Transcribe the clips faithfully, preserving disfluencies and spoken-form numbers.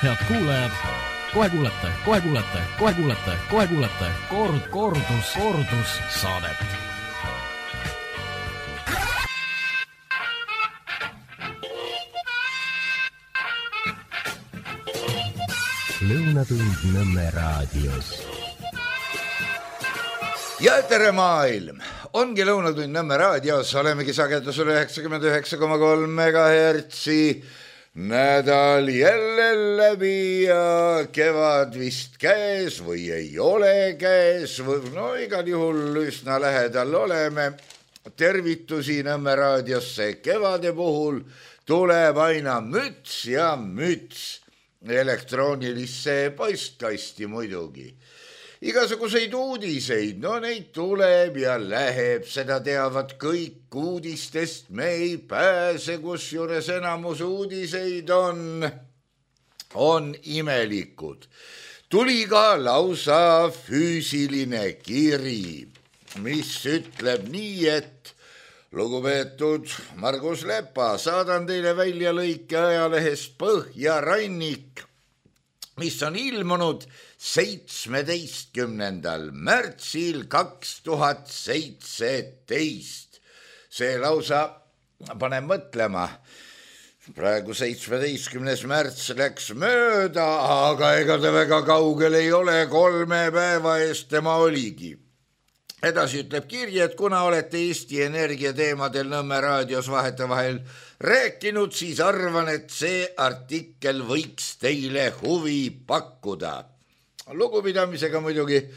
Head kuulajad, kohe kuulete, kohe kuulete, kohe kuulete, kohe kuulete kord, kordus, kordus saadet. Lõunatund Nõmme raadios. Ja tere maailm! Ongi Lõunatund Nõmme raadios, olemegi sagedusel üheksakümmend üheksa koma kolm megahertsi. Nädal jälle läbi ja kevad vist käes või ei ole käes. No igal juhul üsna lähedal oleme. Tervitusi Nõmme raadiosse kevade puhul tuleb aina müts ja müts. Elektroonilisse postkasti muidugi. Igasuguseid uudiseid, no neid tuleb ja läheb, seda teavad kõik uudistest, me ei pääse, kusjuures enamus uudiseid on, on imelikud. Tuli ka lausa füüsiline kiri, mis ütleb nii, et lugupeetud Margus Lepa, saadan teile välja lõike ajalehest Põhjarannik, mis on ilmunud seitsmeteistkümnendal märtsil kaks tuhat seitseteist. See lausa paneb mõtlema. Praegu seitsmeteistkümnes märts läks mööda, aga ega ta väga kaugel ei ole, kolme päeva eest tema oligi. Edasi ütleb kirji, et kuna olete Eesti Energia teemadel Nõmme raadios vahetevahel rääkinud, siis arvan, et see artikkel võiks teile huvi pakkuda. Lugupidamisega muidugi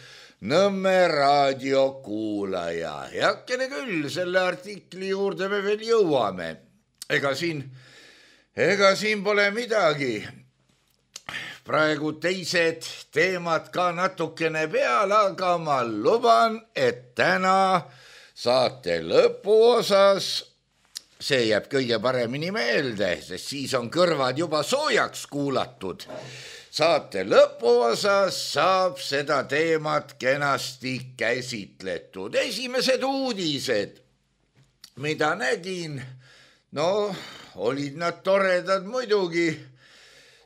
Nõmme raadio kuulaja. Heakene küll, selle artikli juurde me veel jõuame. Ega siin, ega siin pole midagi. Praegu teised teemad ka natukene peal, aga ma luban, et täna saate lõpuosas, see jääb kõige paremini meelde, sest siis on kõrvad juba soojaks kuulatud. Saate lõpuosas saab seda teemat kenasti käsitletud. Esimesed uudised, mida nägin, no olid nad toredad muidugi.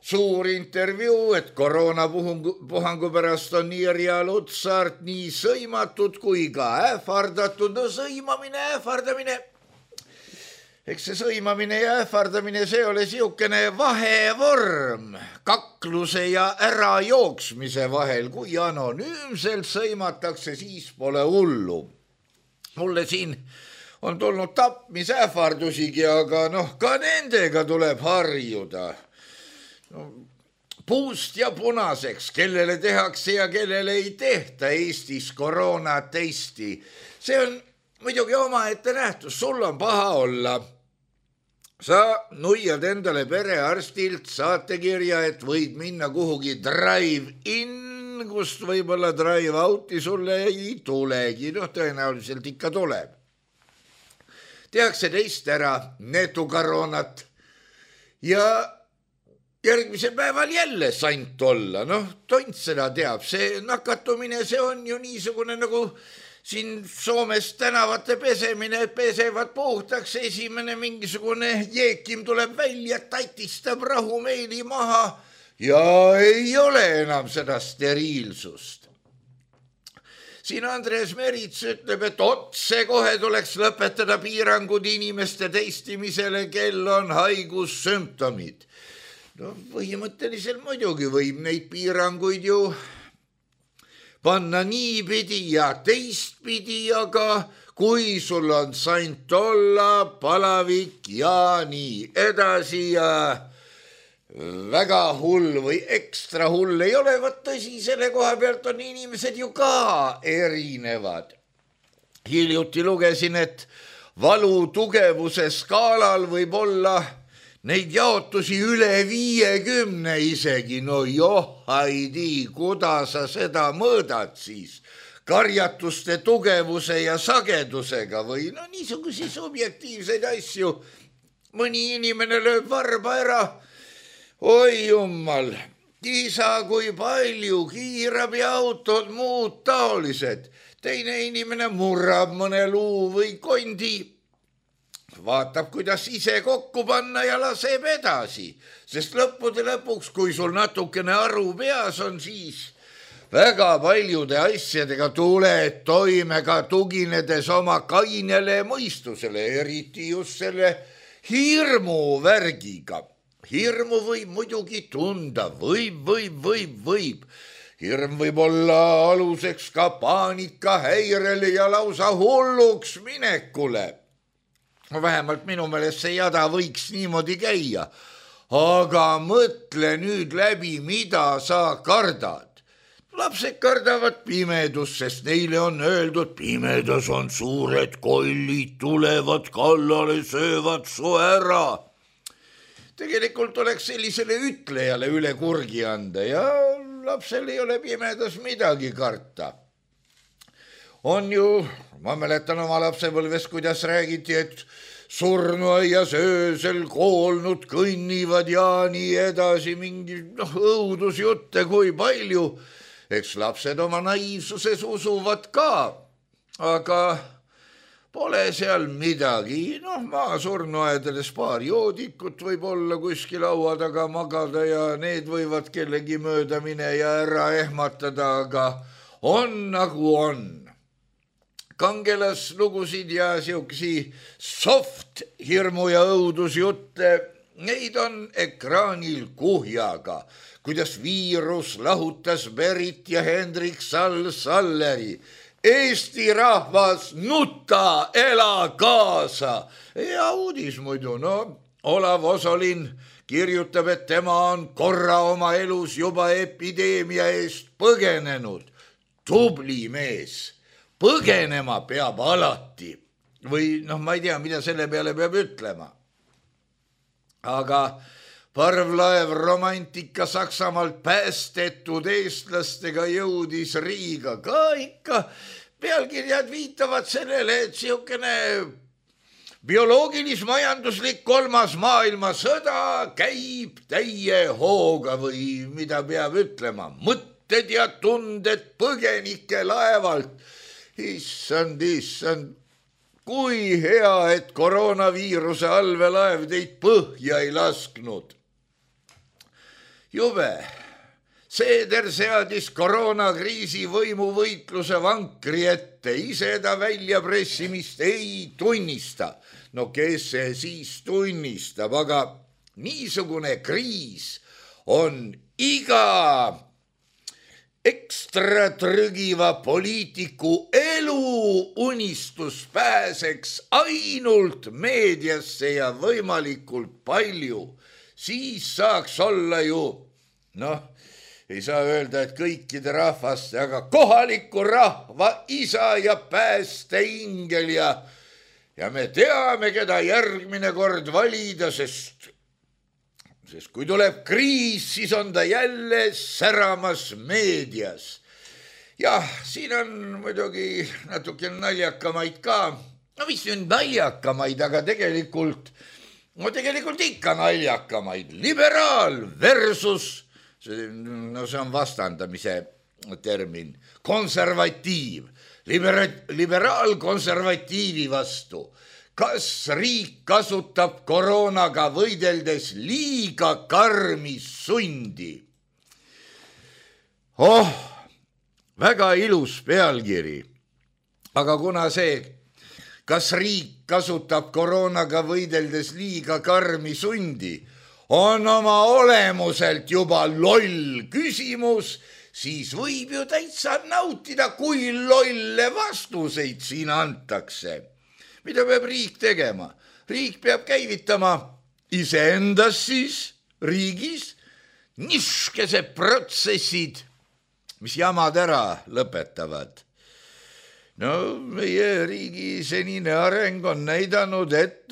Suur intervjuu, et koroonapuhangu pärast on nii Irja Lutsart nii sõimatud kui ka ähvardatud. No sõimamine, ähvardamine. Eks see sõimamine ja ähvardamine, see ole siukene vahevorm kakluse ja ärajooksmise vahel. Kui anonüümselt sõimatakse, siis pole hullu. Mulle siin on tulnud tapmisähvardusigi, aga noh, ka nendega tuleb harjuda. No, puust ja punaseks, kellele tehakse ja kellele ei tehta Eestis koroonatesti. See on muidugi oma ette nähtus, sul on paha olla. Sa nuiad endale perearstilt saatekirja, et võid minna kuhugi drive-in, kust võib-olla drive-out'i sulle ei tulegi, noh tõenäoliselt ikka tuleb. Tehakse teist ära netukoroonat ja järgmisel päeval jälle sant olla, noh, tont seda teab, see nakatumine, see on ju niisugune nagu siin Soomes tänavate pesemine, pesevad puhtaks, esimene mingisugune jeekim tuleb välja, tatistab rahumeeli maha ja ei ole enam seda steriilsust. Siin Andres Merits ütleb, et otse kohe tuleks lõpetada piirangud inimeste testimisele, kel on haigussümptomid. No põhimõtteliselt muidugi võib neid piiranguid ju panna niipidi ja teistpidi, aga kui sul on sant olla, palavik ja nii edasi ja väga hull või ekstra hull ei ole, vaat tõsi, selle koha pealt on inimesed ju ka erinevad. Hiljuti lugesin, et valu tugevuse skaalal võib olla neid jaotusi üle viiekümne isegi, no joh, haidi, kuidas sa seda mõõdad siis? Karjatuste tugevuse ja sagedusega või no niisugusi subjektiivseid asju. Mõni inimene lööb varba ära, oi jummal, isa kui palju, kiirabiautod, muud taolised. Teine inimene murrab mõne luu või kondi. vaatab, kuidas ise kokku panna ja laseb edasi, sest lõppude lõpuks, kui sul natukene aru peas on, siis väga paljude asjadega tuled toime ka tuginedes oma kainele mõistusele, eriti just selle hirmu värgiga. Hirmu võib muidugi tunda, võib, võib, võib, võib. Hirm võib olla aluseks ka paanikahäirele ja lausa hulluks minekule. Vähemalt minu meelest see jada võiks niimoodi käia. Aga mõtle nüüd läbi, mida sa kardad. Lapsed kardavad pimedust, sest neile on öeldud, pimedas on suured kollid, tulevad kallale, söövad su ära. Tegelikult oleks sellisele ütlejale üle kurgi anda ja lapsel ei ole pimedas midagi karta. On ju, ma mäletan oma lapsepõlves, kuidas räägiti, et surnuaias öösel koolnud kõnnivad ja nii edasi, mingi noh, õudusjutte kui palju. Eks lapsed oma naiivsuses usuvad ka, aga pole seal midagi. Noh, maa surnuaedades paar joodikut võib olla kuskil laua taga magada ja need võivad kellegi mööda mine ja ära ehmatada, aga on nagu on. Kangelaslugusid ja siuksi soft hirmu ja õudusjutte, neid on ekraanil kuhjaga, kuidas viirus lahutas Berit ja Hendrik Sall-Salleri. Eesti rahvas, nuta, ela kaasa. Ja uudis muidu, no Olav Osolin kirjutab, et tema on korra oma elus juba epideemia eest põgenenud. Tubli mees, põgenema peab alati. Või noh, ma ei tea, mida selle peale peab ütlema. Aga parvlaev romantika Saksamaalt päästetud eestlastega jõudis Riiga ka ikka. Pealkirjad viitavad sellele, et siukene bioloogilis-majanduslik kolmas maailmasõda käib täie hooga või mida peab ütlema. Mõtted ja tunded põgenike laevalt. Issand, issand. Kui hea, et koroonaviiruse allveelaev teid põhja ei lasknud. Jube, Seeder seadis koroonakriisi võimuvõitluse vankri ette, ise ta väljapressimist ei tunnista. No kes see siis tunnistab, aga niisugune kriis on iga ekstra trügiva poliitiku elu unistus pääseks ainult meediasse ja võimalikult palju. Siis saaks olla ju, noh, ei saa öelda, et kõikide rahvaste, aga kohaliku rahva isa ja päästeingel ja, ja me teame, keda järgmine kord valida, sest Sest kui tuleb kriis, siis on ta jälle säramas meedias. Jah, siin on muidugi natuke naljakamaid ka. No mis on naljakamaid, aga tegelikult, no tegelikult ikka naljakamaid. Liberaal versus, no see on vastandamise termin, konservatiiv. Libera, liberaal konservatiivi vastu. Kas riik kasutab koroonaga võideldes liiga karmi sundi? Oh, väga ilus pealkiri. Aga kuna see, kas riik kasutab koroonaga võideldes liiga karmi sundi, on oma olemuselt juba loll küsimus, siis võib ju täitsa nautida, kui lolle vastuseid siin antakse. Mida peab riik tegema? Riik peab käivitama iseendas siis riigis niskesed protsessid, mis jamad ära lõpetavad. No meie riigi senine areng on näidanud, et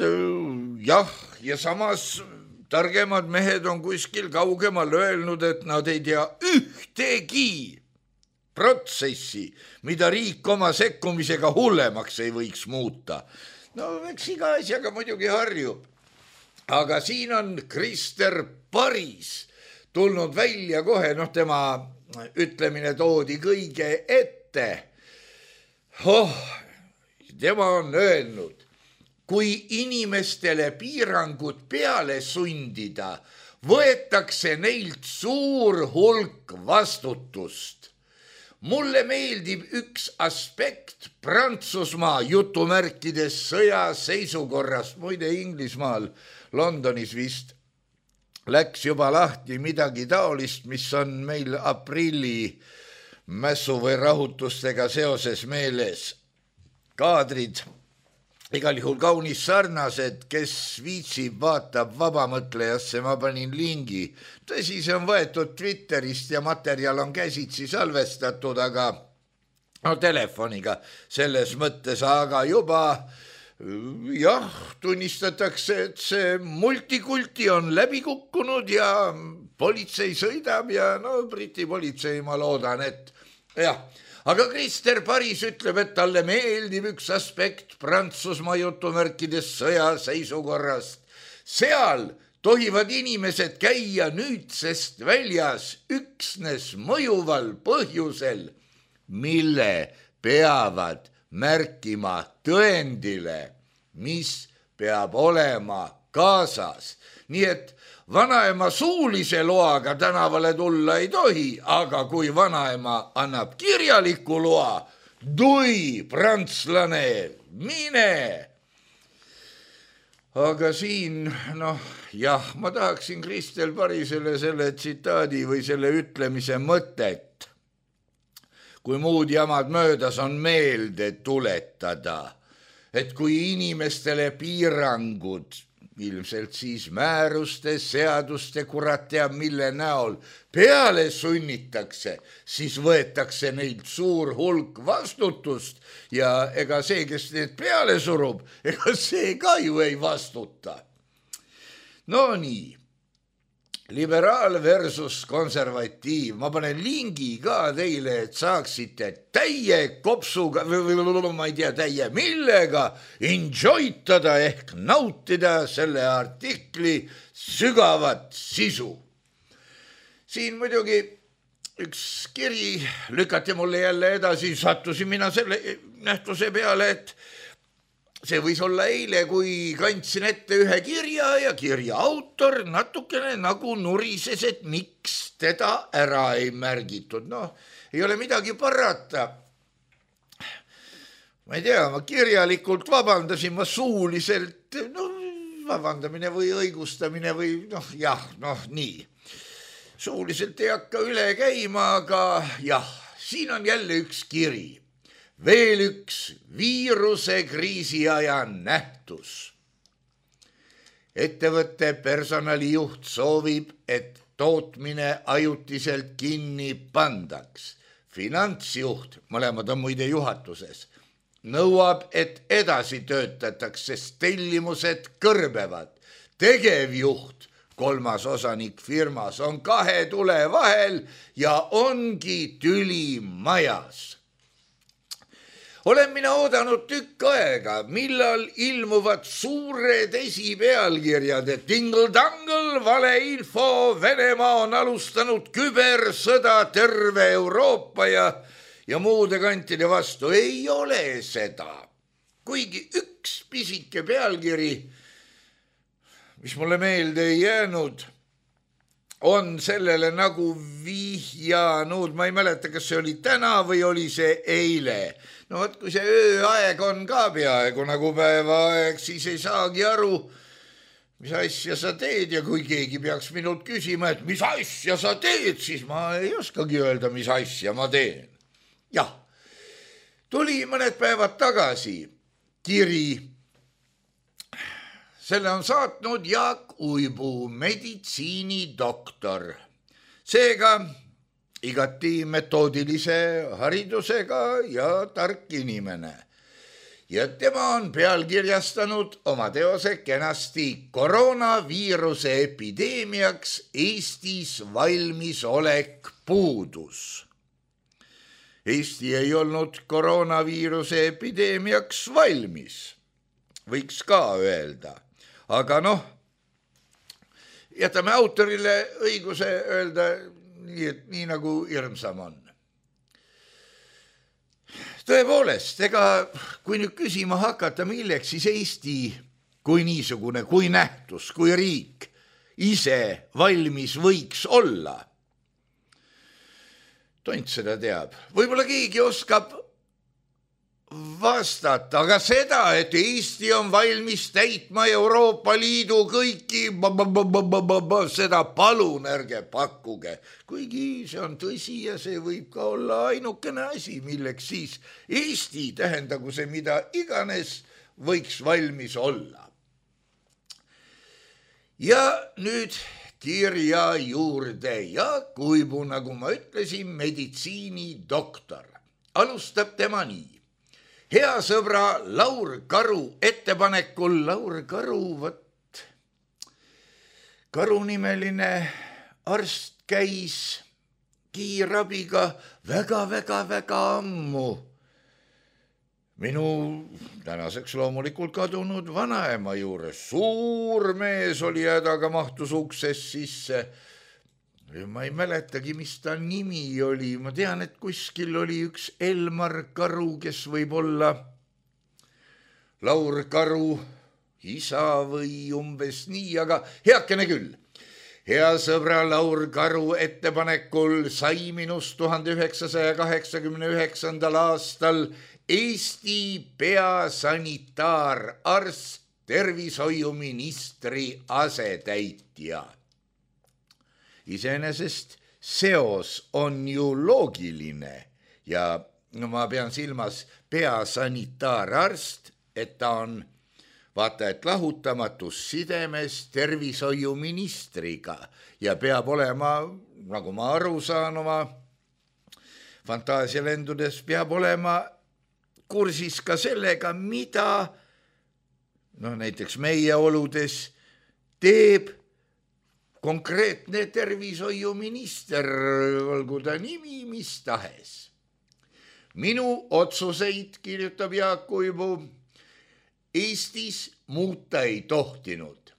jah, ja samas targemad mehed on kuskil kaugemal öelnud, et nad ei tea ühtegi protsessi, mida riik oma sekkumisega hullemaks ei võiks muuta. No eks iga asjaga muidugi harjub. Aga siin on Krister Paris tulnud välja kohe, noh tema ütlemine toodi kõige ette. Oh, tema on öelnud, kui inimestele piirangud peale sundida, võetakse neilt suur hulk vastutust. Mulle meeldib üks aspekt Prantsusmaa jutumärkides sõjaseisukorrast, muide Inglismaal, Londonis vist läks juba lahti midagi taolist, mis on meil aprilli mässu või rahutustega seoses meeles. Kaadrid igal juhul kaunis sarnased, kes viitsib, vaatab vabamõtlejasse, ma panin lingi. Tõsi, see on võetud Twitterist ja materjal on käsitsi salvestatud, aga no telefoniga selles mõttes, aga juba jah, tunnistatakse, et see multikulti on läbi kukkunud ja politsei sõidab ja no Briti politsei, ma loodan, et jah. Aga Krister Paris ütleb, et talle meeldib üks aspekt Prantsusmaa jutumärkides sõjaseisukorrast. Seal tohivad inimesed käia nüüdsest väljas üksnes mõjuval põhjusel, mille peavad märkima tõendile, mis peab olema kaasas. Nii et vanaema suulise loaga tänavale tulla ei tohi, aga kui vanaema annab kirjaliku loa, tui, prantslane, mine. Aga siin, noh, jah, ma tahaksin Kristel Parisele selle tsitaadi või selle ütlemise mõtet, kui muud jamad möödas on meelde tuletada, et kui inimestele piirangud, ilmselt siis määruste, seaduste, kurat teab mille näol, peale sunnitakse, siis võetakse neilt suur hulk vastutust ja ega see, kes need peale surub, ega see ka ju ei vastuta. No nii. Liberaal versus konservatiiv. Ma panen lingi ka teile, et saaksite täie kopsuga, või ma ei tea täie millega, enjoytada ehk nautida selle artikli sügavat sisu. Siin muidugi üks kiri lükati mulle jälle edasi, sattusin mina selle nähtuse peale, et see võis olla eile, kui kandsin ette ühe kirja ja kirja autor natukene nagu nurises, et miks teda ära ei märgitud. Noh, ei ole midagi parata. Ma ei tea, ma kirjalikult vabandasin, ma suuliselt, no vabandamine või õigustamine või noh, jah, noh nii. Suuliselt ei hakka üle käima, aga jah, siin on jälle üks kiri. Veel üks viiruse kriisiaja nähtus. Ettevõtte personalijuht soovib, et tootmine ajutiselt kinni pandaks. Finantsjuht, mõlemad on muide juhatuses, nõuab, et edasi töötataks, sest tellimused kõrbevad. Tegevjuht, kolmas osanik firmas, on kahe tule vahel ja ongi tüli majas. Olen mina oodanud tükk aega, millal ilmuvad suured esipealkirjad, et tingle-tangle, valeinfo, Venemaa on alustanud kübersõda terve Euroopa ja, ja muude kantide vastu. Ei ole seda. Kuigi üks pisike pealkiri, mis mulle meelde ei jäänud, on sellele nagu vihjanud, ma ei mäleta, kas see oli täna või oli see eile. No võt, kui see ööaeg on ka peaaegu nagu päevaaeg, siis ei saagi aru, mis asja sa teed ja kui keegi peaks minult küsima, et mis asja sa teed, siis ma ei oskagi öelda, mis asja ma teen. Jah, tuli mõned päevad tagasi kiri. Selle on saatnud Jaak Uibu, meditsiinidoktor. Seega igati metoodilise haridusega ja tark inimene. Ja tema on pealkirjastanud oma teose kenasti koroonaviiruse epideemiaks Eestis valmisolek puudus. Eesti ei olnud koroonaviiruse epideemiaks valmis, võiks ka öelda. Aga noh, jätame autorile õiguse öelda nii, et nii nagu hirmsam on. tõepoolest, ega kui nüüd küsima hakata, milleks siis Eesti kui niisugune, kui nähtus, kui riik ise valmis võiks olla. Tont seda teab. Võib-olla keegi oskab vastata, aga seda, et Eesti on valmis täitma Euroopa Liidu kõiki, seda palun ärge pakkuge. Kuigi see on tõsi ja see võib ka olla ainukene asi, milleks siis Eesti, tähendagu see mida iganes, võiks valmis olla. Ja nüüd kirja juurde Jaak Uibu, nagu ma ütlesin, meditsiinidoktor. Alustab tema nii. Hea sõbra Laur Karu ettepanekul, Laur Karu, võt, Karu nimeline arst käis kiirabiga väga-väga-väga ammu. Minu tänaseks loomulikult kadunud vanaema juures. Suur mees oli hädaga mahtus uksest sisse. Ma ei mäletagi, mis ta nimi oli. Ma tean, et kuskil oli üks Elmar Karu, kes võib olla Laur Karu isa või umbes nii, aga heakene küll. Hea sõbra Laur Karu ettepanekul sai minust tuhande üheksasaja kaheksakümne üheksandal aastal Eesti peasanitaararst, tervishoiuministri asetäitja. Iseenesest seos on ju loogiline ja no ma pean silmas peasanitaararst, et ta on vaata, et lahutamatus sidemes tervishoiuministriga ja peab olema, nagu ma aru saan oma fantaasialendudes, peab olema kursis ka sellega, mida no näiteks meie oludes teeb konkreetne tervishoiuminister, olgu ta nimi mis tahes. Minu otsuseid, kirjutab Jaak Uibu, Eestis muuta ei tohtinud.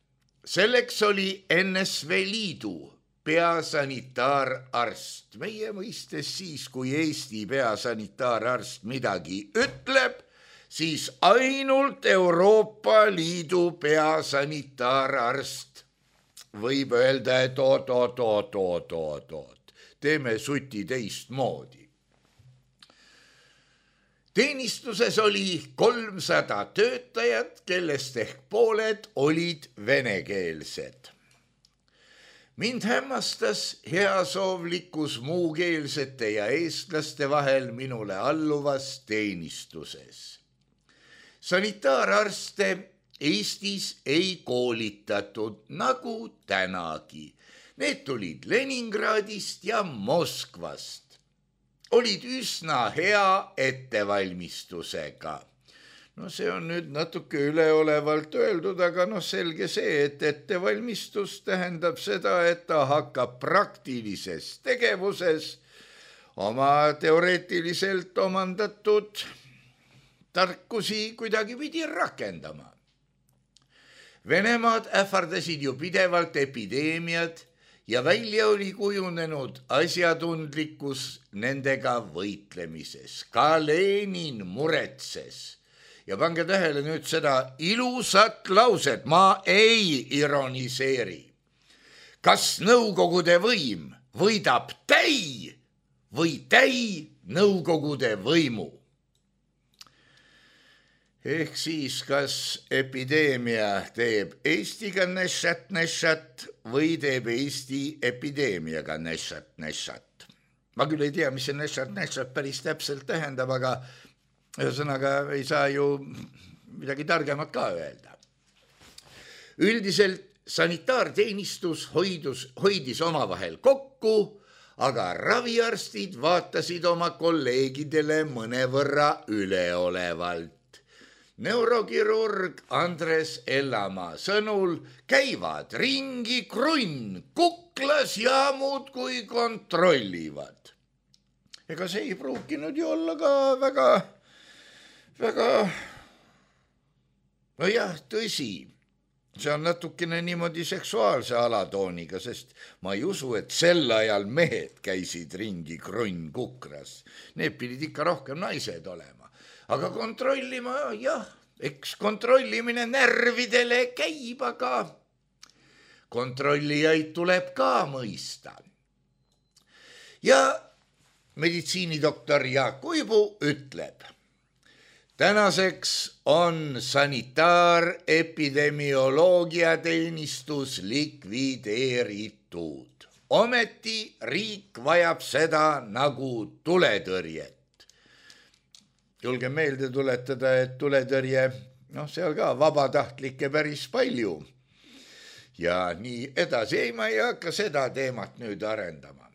Selleks oli N S V Liidu peasanitaararst. Meie mõistes siis, kui Eesti peasanitaararst midagi ütleb, siis ainult Euroopa Liidu peasanitaararst võib öelda, et oot, oot, oot, oot, oot, oot. Teeme suti teistmoodi. Teenistuses oli kolmsada töötajat, kellest ehk pooled olid venekeelsed. Mind hämmastas heasoovlikkus muukeelsete ja eestlaste vahel minule alluvas teenistuses. Sanitaararste Eestis ei koolitatud, nagu tänagi. Need tulid Leningradist ja Moskvast. Olid üsna hea ettevalmistusega. No see on nüüd natuke üleolevalt öeldud, aga no selge see, et ettevalmistus tähendab seda, et ta hakkab praktilises tegevuses oma teoreetiliselt omandatud tarkusi kuidagi pidi rakendama. Venemaad ähvardasid ju pidevalt epideemiad ja välja oli kujunenud asjatundlikkus nendega võitlemises. Ka Lenin muretses. Ja pange tähele nüüd seda ilusat lauset, ma ei ironiseeri. Kas Nõukogude võim võidab täi või täi Nõukogude võimu? Ehk siis, kas epideemia teeb Eestiga nešat-nešat või teeb Eesti epideemiaga nešat-nešat? Ma küll ei tea, mis see nešat-nešat päris täpselt tähendab, aga ühesõnaga ei saa ju midagi targemat ka öelda. Üldiselt sanitaarteenistus hoidus, hoidis omavahel kokku, aga raviarstid vaatasid oma kolleegidele mõnevõrra üleolevalt. Neurokirurg Andres Ellamaa sõnul käivad ringi krunn kuklas ja muud kui kontrollivad. Ega see ei pruukinud ju olla ka väga, väga, no jah, tõsi. See on natukene niimoodi seksuaalse alatooniga, sest ma ei usu, et sel ajal mehed käisid ringi krunn kukras. Need pidid ikka rohkem naised olema. aga kontrollima, jah, eks kontrollimine närvidele käib, aga kontrollijaid tuleb ka mõista. Ja meditsiinidoktor Jaak Uibu ütleb, tänaseks on sanitaarepidemioloogiateenistus likvideeritud. Ometi riik vajab seda nagu tuletõrjet. Julge meelde tuletada, et tuletõrje, noh, seal ka vabatahtlikke päris palju. Ja nii edasi, ei, ma ei hakka seda teemat nüüd arendama.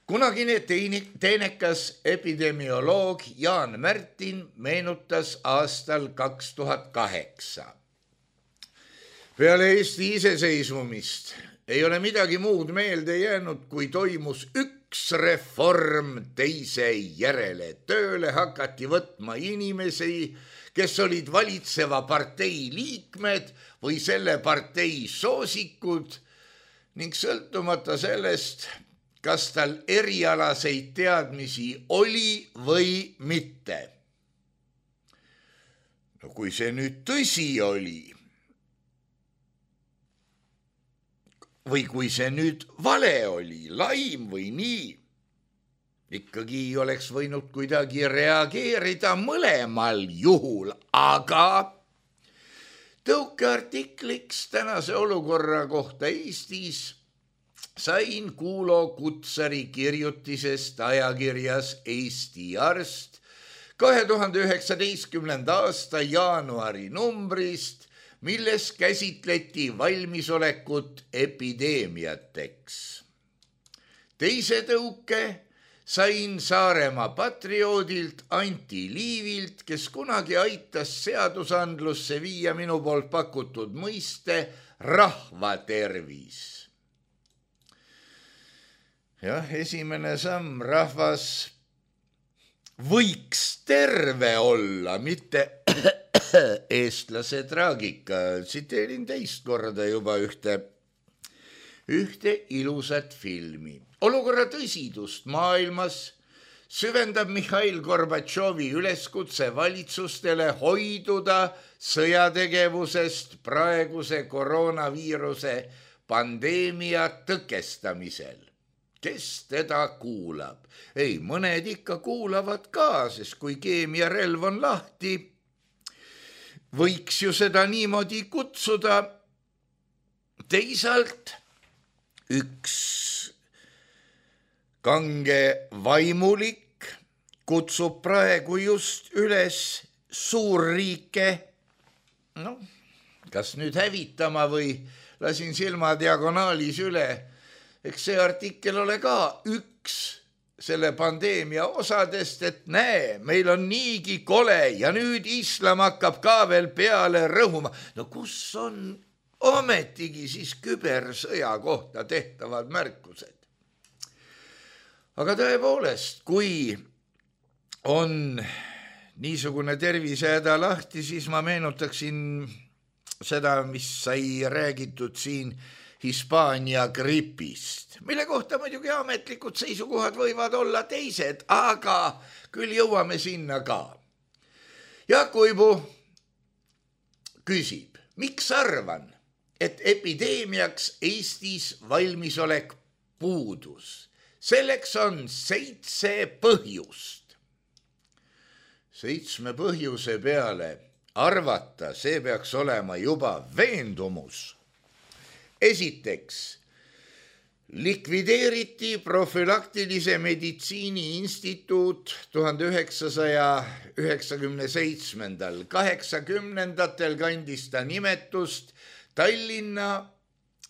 Kunagine teenekas epidemioloog Jaan Märtin meenutas aastal kaks tuhat kaheksa. Peale Eesti iseseisvumist ei ole midagi muud meelde jäänud, kui toimus üks reform teise järele. Tööle hakati võtma inimesi, kes olid valitseva partei liikmed või selle partei soosikud ning sõltumata sellest, kas tal erialaseid teadmisi oli või mitte. No kui see nüüd tõsi oli, või kui see nüüd vale oli, laim või nii, ikkagi oleks võinud kuidagi reageerida mõlemal juhul, aga tõukeartikliks tänase olukorra kohta Eestis sain Kuulo Kutsari kirjutisest ajakirjas Eesti Arst kahe tuhande üheksateistkümnenda aasta jaanuari numbrist, milles käsitleti valmisolekut epideemiateks. Teise tõuke sain Saaremaa patrioodilt Anti Liivilt, kes kunagi aitas seadusandlusse viia minu poolt pakutud mõiste rahvatervis. Jah, esimene samm, rahvas võiks terve olla, mitte eestlase traagika. Tsiteerin teist korda juba ühte, ühte ilusat filmi. Olukorra tõsidust maailmas süvendab Mihhail Gorbatšovi üleskutse valitsustele hoiduda sõjategevusest praeguse koroonaviiruse pandeemia tõkestamisel. Kes teda kuulab? Ei, mõned ikka kuulavad ka, sest kui keemiarelv on lahti, võiks ju seda niimoodi kutsuda. Teisalt üks kange vaimulik kutsub praegu just üles suurriike, no, kas nüüd hävitama või lasin silma diagonaalis üle. Eks see artikkel ole ka üks selle pandeemia osadest, et näe, meil on niigi kole ja nüüd islam hakkab ka veel peale rõhuma. No kus on ometigi siis kübersõja kohta tehtavad märkused? Aga tõepoolest, kui on niisugune tervisehäda lahti, siis ma meenutaksin seda, mis sai räägitud siin Hispaania gripist, mille kohta muidugi ametlikud seisukohad võivad olla teised, aga küll jõuame sinna ka. Jaak Uibu küsib, miks arvan, et epideemiaks Eestis valmisolek puudus? Selleks on seitse põhjust. Seitsme põhjuse peale arvata, see peaks olema juba veendumus. Esiteks, likvideeriti profülaktilise meditsiini instituut tuhande üheksasaja üheksakümne seitsmendal. kaheksakümnendatel kandis ta nimetust Tallinna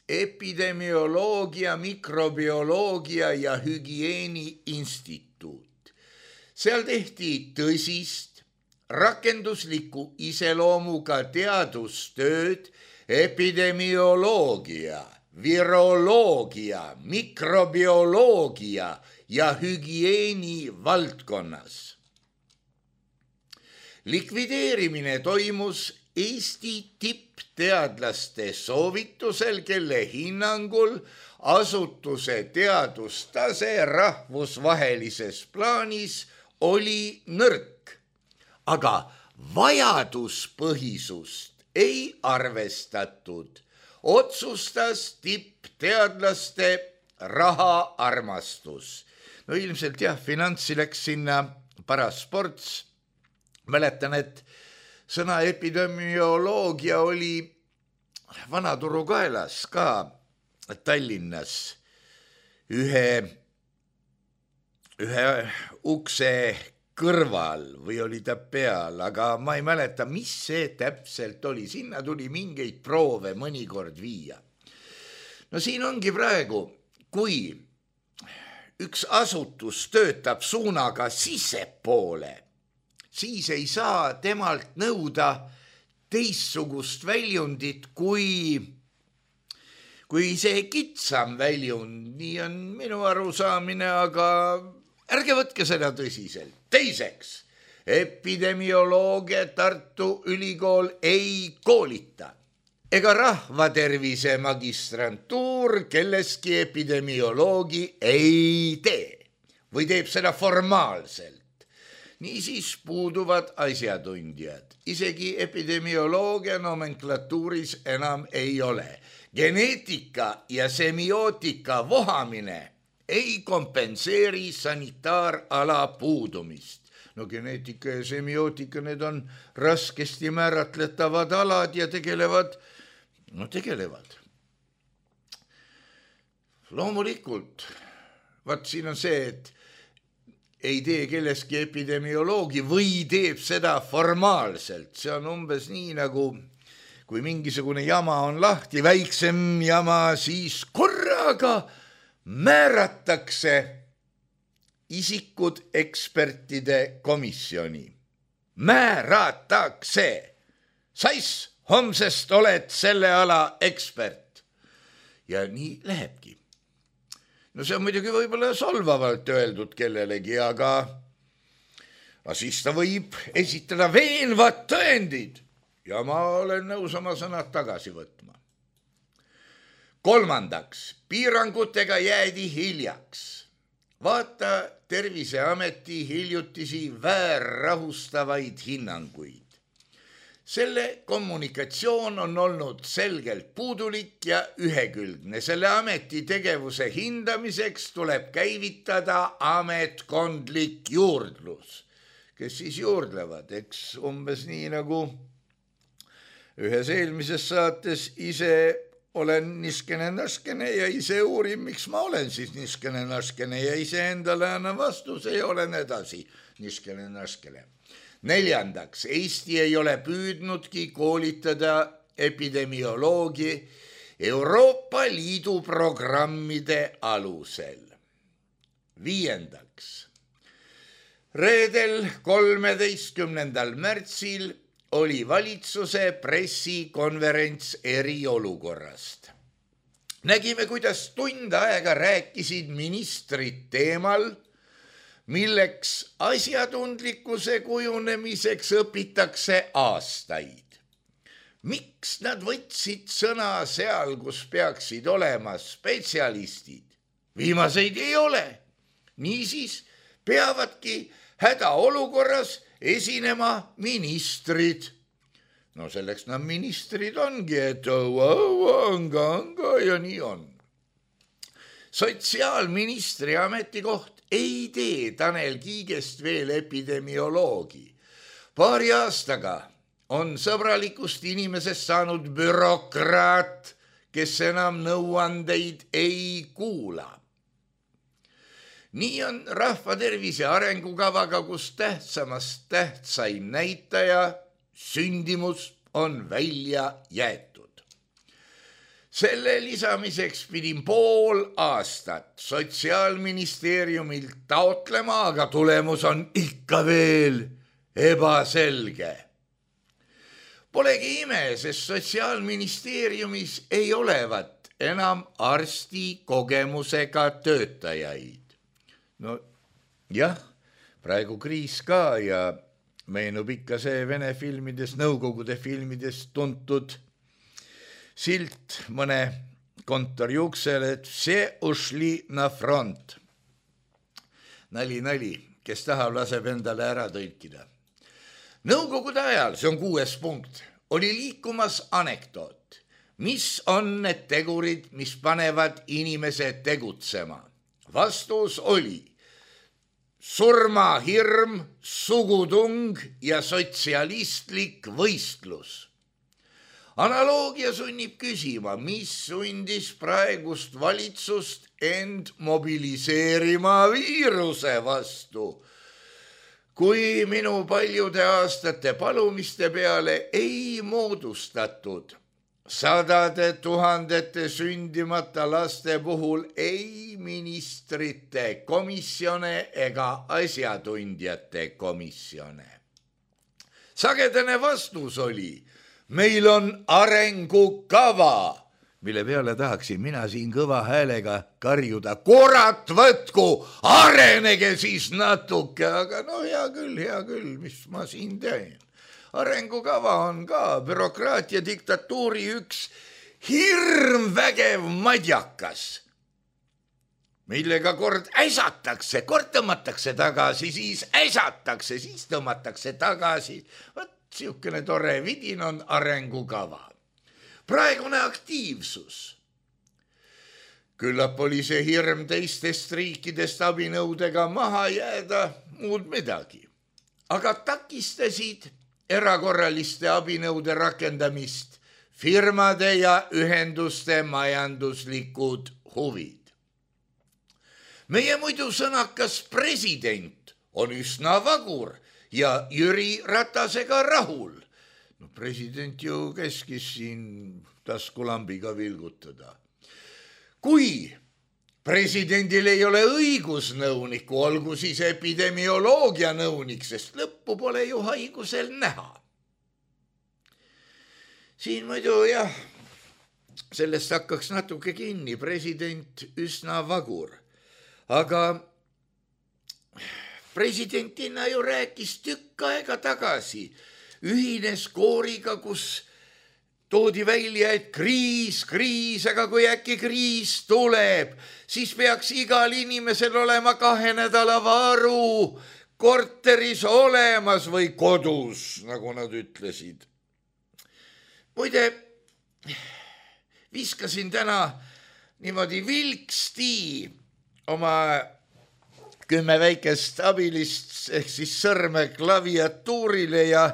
epidemioloogia, mikrobioloogia ja hügieeni instituut. Seal tehti tõsist, rakendusliku iseloomuga teadustööd epidemioloogia, viroloogia, mikrobioloogia ja hügieeni valdkonnas. Likvideerimine toimus Eesti tippteadlaste soovitusel, kelle hinnangul asutuse teadustase rahvusvahelises plaanis oli nõrk. aga vajaduspõhisust ei arvestatud. Otsustas tippteadlaste rahaarmastus. No ilmselt jah, finantsi läks sinna paras sports. Mäletan, et sõna epidemioloogia oli Vanaturu kaelas ka Tallinnas ühe, ühe ukse kõrval või oli ta peal, aga ma ei mäleta, mis see täpselt oli. Sinna tuli mingeid proove mõnikord viia. No siin ongi praegu, kui üks asutus töötab suunaga sissepoole, siis ei saa temalt nõuda teissugust väljundit kui, kui see kitsam väljund. Nii on minu arusaamine, aga ärge võtke seda tõsiselt. Teiseks, epidemioloogia Tartu Ülikool ei koolita ega rahvatervise magistrantuur kelleski epidemioloogi ei tee või teeb seda formaalselt. Niisiis puuduvad asjatundjad. Isegi epidemioloogia nomenklatuuris enam ei ole. Geneetika ja semiootika vohamine ei kompenseeri sanitaarala puudumist. No geneetika ja semiootika, need on raskesti määratletavad alad ja tegelevad, no tegelevad. Loomulikult, vaat siin on see, et ei tee kelleski epidemioloogi või teeb seda formaalselt. See on umbes nii nagu, kui mingisugune jama on lahti, väiksem jama, siis korraga määratakse isikud ekspertide komisjoni. Määratakse. Sais, homsest oled selle ala ekspert. Ja nii lähebki. No see on muidugi võib-olla solvavalt öeldud kellelegi, aga, aga siis ta võib esitada veenvad tõendid ja ma olen nõus oma sõnad tagasi võtma. Kolmandaks, piirangutega jäädi hiljaks. Vaata Terviseameti hiljutisi väärrahustavaid hinnanguid. Selle kommunikatsioon on olnud selgelt puudulik ja ühekülgne. Selle ameti tegevuse hindamiseks tuleb käivitada ametkondlik juurdlus. Kes siis juurdlevad? Eks umbes nii nagu ühes eelmises saates ise olen niskene naskene ja ise uurin, miks ma olen siis niskene naskene ja ise endale annan vastuse ja olen edasi niskene naskene. Neljandaks, Eesti ei ole püüdnudki koolitada epidemioloogi Euroopa Liidu programmide alusel. Viiendaks, reedel kolmeteistkümnendal märtsil oli valitsuse pressikonverents eriolukorrast. Nägime, kuidas tund aega rääkisid ministrid teemal, milleks asjatundlikkuse kujunemiseks õpitakse aastaid. Miks nad võtsid sõna seal, kus peaksid olema spetsialistid? Viimaseid ei ole. Niisiis peavadki hädaolukorras esinema ministrid. No selleks nad ministrid ongi, et anga, anga ja nii on. Sotsiaalministri ametikoht ei tee Tanel Kiigest veel epidemioloogi. Paari aastaga on sõbralikust inimesest saanud bürokraat, kes enam nõuandeid ei kuula. Nii on rahvatervise arengukavaga, kus tähtsamast tähtsaim näitaja, sündimus, on välja jäetud. Selle lisamiseks pidin pool aastat Sotsiaalministeeriumilt taotlema, aga tulemus on ikka veel ebaselge. Polegi ime, sest Sotsiaalministeeriumis ei olevat enam arsti kogemusega töötajaid. No jah, praegu kriis ka ja meenub ikka see Vene filmides, Nõukogude filmides tuntud silt mõne kontori uksele, et see ušli na front. Nali, nali, kes tahab, laseb endale ära tõlkida. Nõukogude ajal, see on kuues punkt, oli liikumas anekdoot, mis on need tegurid, mis panevad inimese tegutsema. Vastus oli surmahirm, sugutung ja sotsialistlik võistlus. Analoogia sunnib küsima, mis sundis praegust valitsust end mobiliseerima viiruse vastu. Kui minu paljude aastate palumiste peale ei moodustatud sadade tuhandete sündimata laste puhul ei ministrite komisjone ega asjatundjate komisjone. Sagedane vastus oli, meil on arengukava, mille peale tahaksin mina siin kõva häälega karjuda, kurat võtku, arenege siis natuke, aga no hea küll, hea küll, mis ma siin teen. Arengukava on ka bürokraatia diktatuuri üks hirmvägev madjakas, millega kord äsatakse, kord tõmmatakse tagasi, siis äsatakse, siis tõmmatakse tagasi. Võt, siukene tore vidin on arengukava. Praegune aktiivsus. Küllap oli see hirm teistest riikidest abinõudega maha jääda, muud midagi. Aga takistasid erakorraliste abinõude rakendamist firmade ja ühenduste majanduslikud huvid. Meie muidu sõnakas president on üsna vagur ja Jüri Ratasega rahul. No president ju keskis siin taskulambiga vilgutada. Kui presidendil ei ole õigusnõuniku, olgu siis epidemioloogia nõunik, sest lõppu pole ju haigusel näha. Siin muidu jah, sellest hakkaks natuke kinni, president üsna vagur. Aga presidentina ju rääkis tükk aega tagasi, ühines kooriga, kus toodi välja, et kriis, kriis, aga kui äkki kriis tuleb, siis peaks igal inimesel olema kahe nädala varu korteris olemas või kodus, nagu nad ütlesid. Muide, viskasin täna niimoodi vilksti oma kümme väikest abilist ehk siis sõrme klaviatuurile ja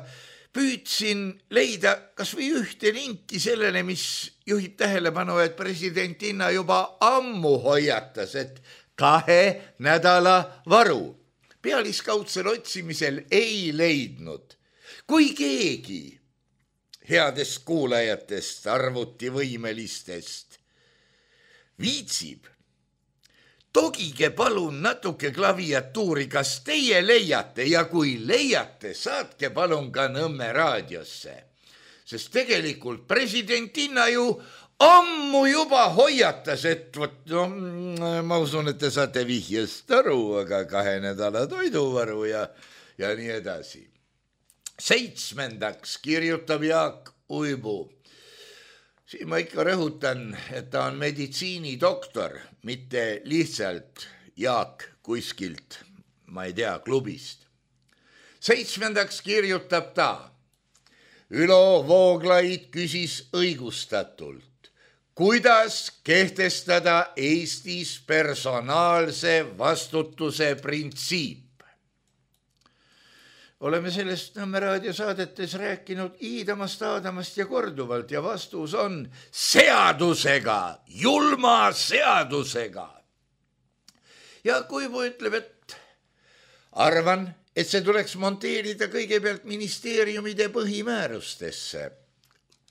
püüdsin leida kas või ühte linki sellele, mis juhib tähelepanu, et presidentina juba ammu hoiatas, et kahe nädala varu. Pealiskaudsel otsimisel ei leidnud. Kui keegi headest kuulajatest, arvutivõimelistest viitsib, togige palun natuke klaviatuuri, kas teie leiate ja kui leiate, saatke palun ka Nõmme raadiosse. Sest tegelikult presidentina ju ammu juba hoiatas, et võt, no, ma usun, et te saate vihjest aru, aga kahe nädala toiduvaru ja, ja nii edasi. Seitsmendaks kirjutab Jaak Uibu. Siin ma ikka rõhutan, et ta on meditsiinidoktor, mitte lihtsalt Jaak kuskilt, ma ei tea, klubist. Seitsmendaks kirjutab ta. Ülo Vooglaid küsis õigustatult, kuidas kehtestada Eestis personaalse vastutuse printsiip. Oleme sellest Nõmme raadiosaadetes rääkinud iidamast, aadamast ja korduvalt ja vastus on seadusega, julma seadusega. Ja Kuivu ütleb, et arvan, et see tuleks monteerida kõigepealt ministeeriumide põhimäärustesse.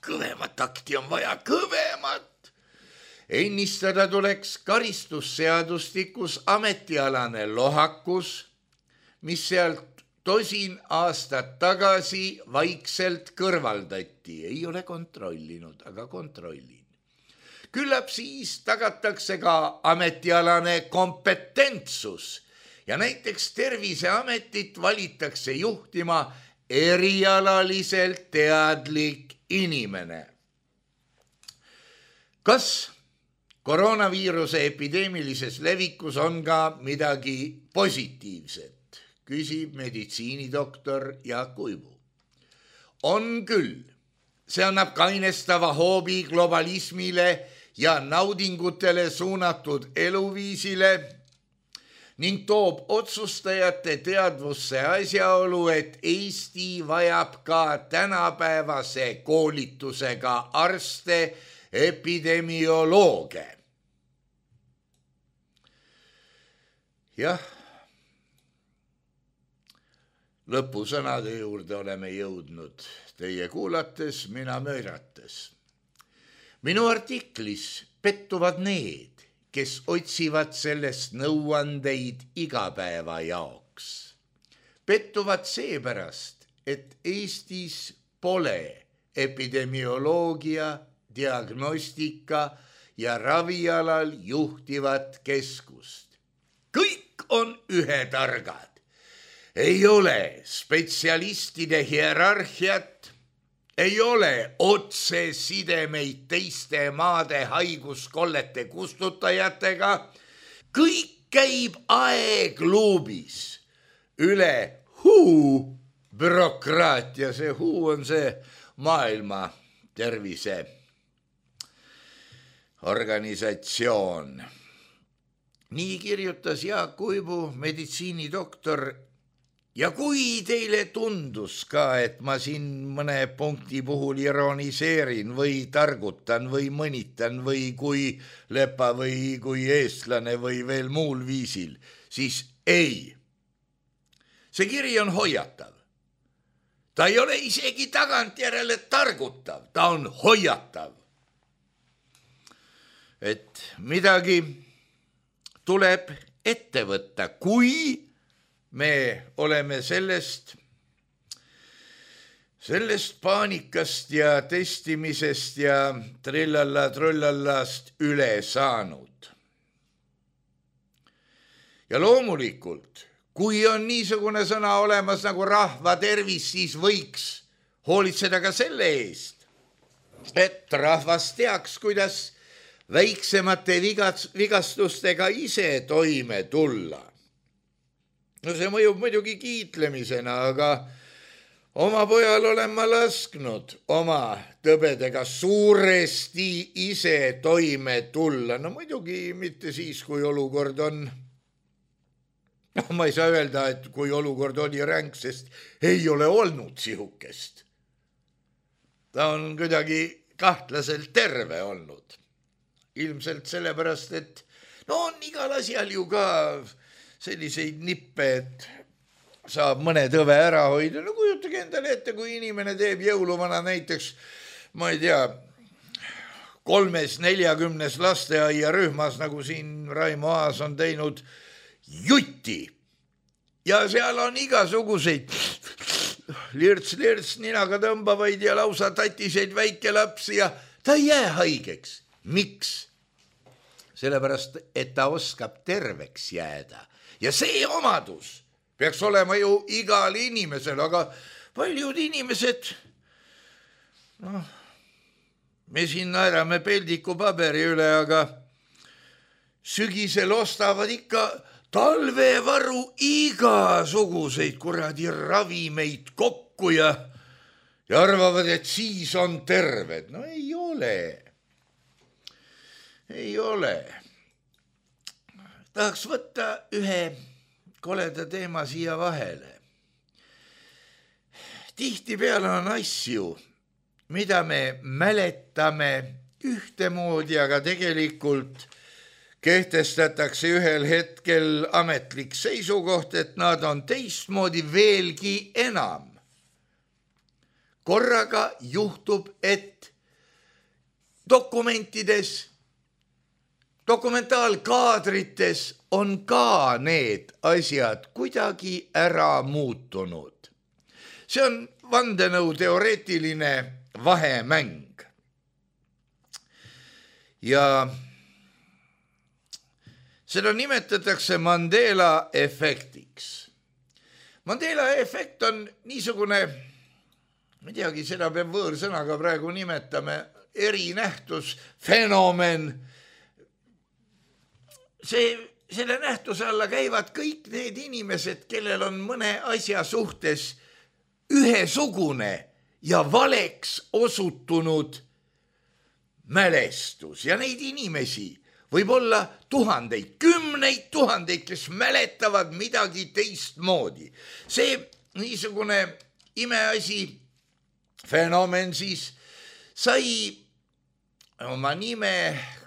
Kõvemat akti on vaja, kõvemat. Ennistada tuleks karistusseadustikus ametialane lohakus, mis sealt tosin aastat tagasi vaikselt kõrvaldati. Ei ole kontrollinud, aga kontrollin. Küllap siis tagatakse ka ametialane kompetentsus ja näiteks Terviseametit valitakse juhtima erialaliselt teadlik inimene. Kas koroonaviiruse epideemilises levikus on ka midagi positiivset? Küsib meditsiinidoktor Jaak Uibu. on küll. See annab kainestava hoobi globalismile ja naudingutele suunatud eluviisile ning toob otsustajate teadvusse asjaolu, et Eesti vajab ka tänapäevase koolitusega arste, epidemiolooge. Jah, lõpusõnade juurde oleme jõudnud teie kuulates, mina möirates. Minu artiklis pettuvad need, kes otsivad sellest nõuandeid igapäeva jaoks. Pettuvad seepärast, et Eestis pole epidemioloogia, diagnostika ja ravialal juhtivat keskust. Kõik on ühetargad. Ei ole spetsialistide hierarhiat, ei ole otsesidemeid teiste maade haiguskollete kustutajatega. Kõik käib aegluubis üle huu bürokraatia. See huu on see maailma tervise organisatsioon. Nii kirjutas Jaak Uibu, meditsiinidoktor. Ja kui teile tundus ka, et ma siin mõne punkti puhul ironiseerin või targutan või mõnitan või kui lepa või kui eestlane või veel muul viisil, siis ei. See kiri on hoiatav. Ta ei ole isegi tagantjärele targutav, ta on hoiatav. Et midagi tuleb ette võtta, kui me oleme sellest, sellest paanikast ja testimisest ja trillalla-trullallast üle saanud. Ja loomulikult, kui on niisugune sõna olemas nagu rahva tervis, siis võiks hoolitseda ka selle eest, et rahvas teaks, kuidas väiksemate vigastustega ise toime tulla. No see mõjub muidugi kiitlemisena, aga oma pojal olen ma lasknud oma tõbedega suuresti ise toime tulla. No muidugi mitte siis, kui olukord on, no ma ei saa öelda, et kui olukord oli ränk, sest ei ole olnud sihukest. Ta on kuidagi kahtlaselt terve olnud. Ilmselt sellepärast, et no on igal asjal ju ka selliseid nippe, et saab mõne tõve ära hoida. No kujutage endale ette, kui inimene teeb jõuluvana näiteks, ma ei tea, kolmes neljakümnes lasteaia rühmas, nagu siin Raimo Aas on teinud, jutti. Ja seal on igasuguseid lirts-lirts ninaga tõmbavaid ja lausa tatiseid väikelapsi ja ta ei jää haigeks. Miks? Sellepärast, et ta oskab terveks jääda. Ja see omadus peaks olema ju igal inimesel, aga paljud inimesed, noh, me siin naerame peldiku paberi üle, aga sügisel ostavad ikka talvevaru igasuguseid kuradi ravimeid kokku ja, ja arvavad, et siis on terved. No ei ole. Ei ole. Tahaks võtta ühe koleda teema siia vahele. Tihtipeale on asju, mida me mäletame ühtemoodi, aga tegelikult kehtestatakse ühel hetkel ametlik seisukoht, et nad on teistmoodi veelgi enam. Korraga juhtub, et dokumentides Dokumentaalkaadrites on ka need asjad kuidagi ära muutunud. See on vandenõu teoreetiline vahemäng. Ja seda nimetatakse Mandela efektiks. Mandela efekt on niisugune, ma ei teagi, seda peab võõrsõnaga praegu nimetame, erinähtus, fenomen. See, selle nähtuse alla käivad kõik need inimesed, kellel on mõne asja suhtes ühesugune ja valeks osutunud mälestus ja neid inimesi võib olla tuhandeid, kümneid tuhandeid, kes mäletavad midagi teistmoodi. See niisugune imeasi, fenomen siis sai oma nime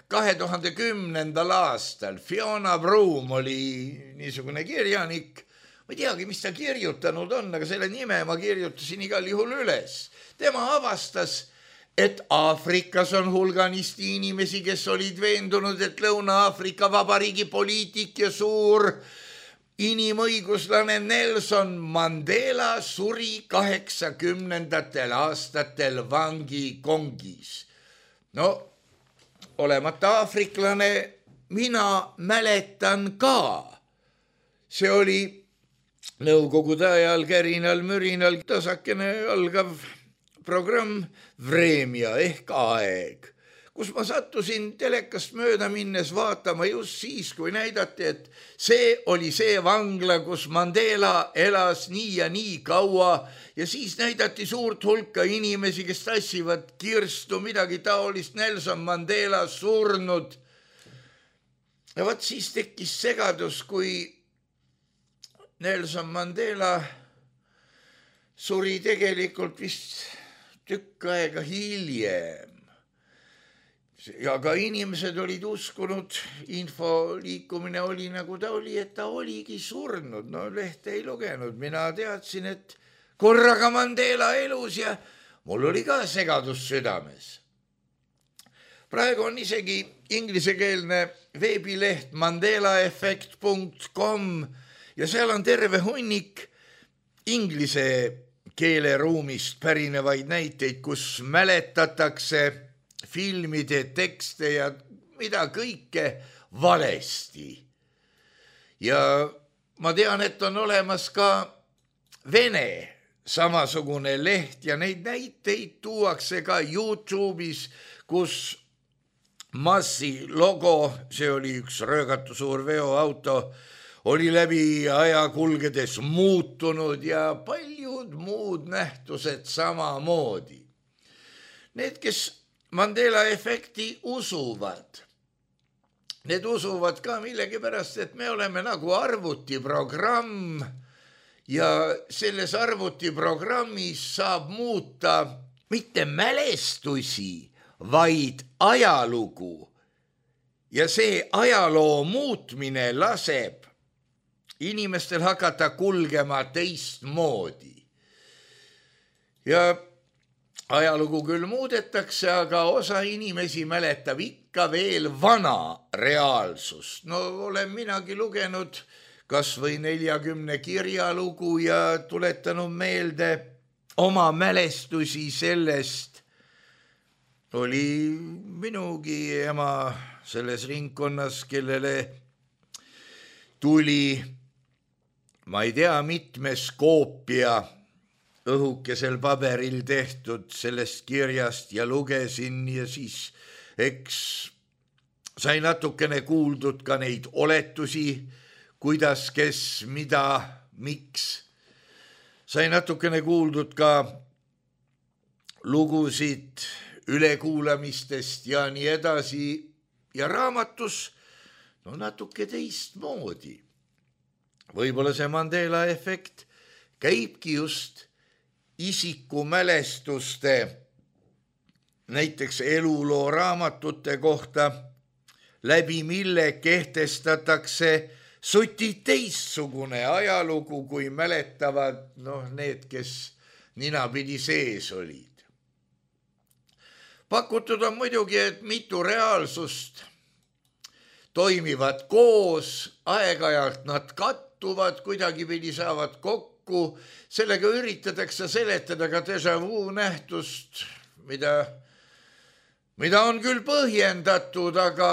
kahe tuhande kümnendal aastal. Fiona Broom oli niisugune kirjanik, ma ei teagi, mis ta kirjutanud on, aga selle nime ma kirjutasin igal juhul üles. Tema avastas, et Aafrikas on hulganisti inimesi, kes olid veendunud, et Lõuna-Aafrika Vabariigi poliitik ja suur inimõiguslane Nelson Mandela suri kaheksakümnendatel aastatel vangi Kongis. No, olemata aafriklane, mina mäletan ka. See oli nõukogude ajal kärinal mürinal tasakene algav programm Vremja ehk aeg, kus ma sattusin telekast mööda minnes vaatama just siis, kui näidati, et see oli see vangla, kus Mandela elas nii ja nii kaua ja siis näidati suurt hulka inimesi, kes tassivad kirstu midagi taolist, Nelson Mandela surnud. Ja võt siis tekkis segadus, kui Nelson Mandela suri tegelikult vist tükk aega hiljem. Ja ka inimesed olid uskunud, info liikumine oli nagu ta oli, et ta oligi surnud. No lehte ei lugenud, mina teadsin, et korraga Mandela elus ja mul oli ka segadus südames. Praegu on isegi inglisekeelne veebileht mandelaeffekt punkt com ja seal on terve hunnik inglise keeleruumist pärinevaid näiteid, kus mäletatakse filmide tekste ja mida kõike valesti. Ja ma tean, et on olemas ka Vene samasugune leht ja neid näiteid tuuakse ka YouTube'is, kus Massi logo, see oli üks röögatu suur veoauto, oli läbi aja kulgedes muutunud ja paljud muud nähtused samamoodi. Need, kes Mandela efekti usuvad, need usuvad ka millegipärast, et me oleme nagu arvutiprogramm ja selles arvutiprogrammis saab muuta mitte mälestusi, vaid ajalugu. Ja see ajaloo muutmine laseb inimestel hakata kulgema teistmoodi. Ja ajalugu küll muudetakse, aga osa inimesi mäletab ikka veel vana reaalsust. No olen minagi lugenud kas või neljakümne kirjalugu ja tuletanud meelde oma mälestusi sellest. Oli minugi ema selles ringkonnas, kellele tuli ma ei tea, mitmes koopia õhukesel paberil tehtud sellest kirjast ja lugesin ja siis eks sai natukene kuuldud ka neid oletusi, kuidas, kes, mida, miks. Sai natukene kuuldud ka lugusid ülekuulamistest ja nii edasi ja raamatus no natuke teistmoodi. Võib-olla see Mandela efekt käibki just isiku mälestuste, näiteks eluloo raamatute kohta, läbi mille kehtestatakse suti teistsugune ajalugu, kui mäletavad no, need, kes ninapidi sees olid. Pakutud on muidugi, et mitu reaalsust toimivad koos, aeg-ajalt nad kattuvad, kuidagipidi saavad kokku, sellega üritatakse seletada ka déjà vu nähtust, mida, mida on küll põhjendatud, aga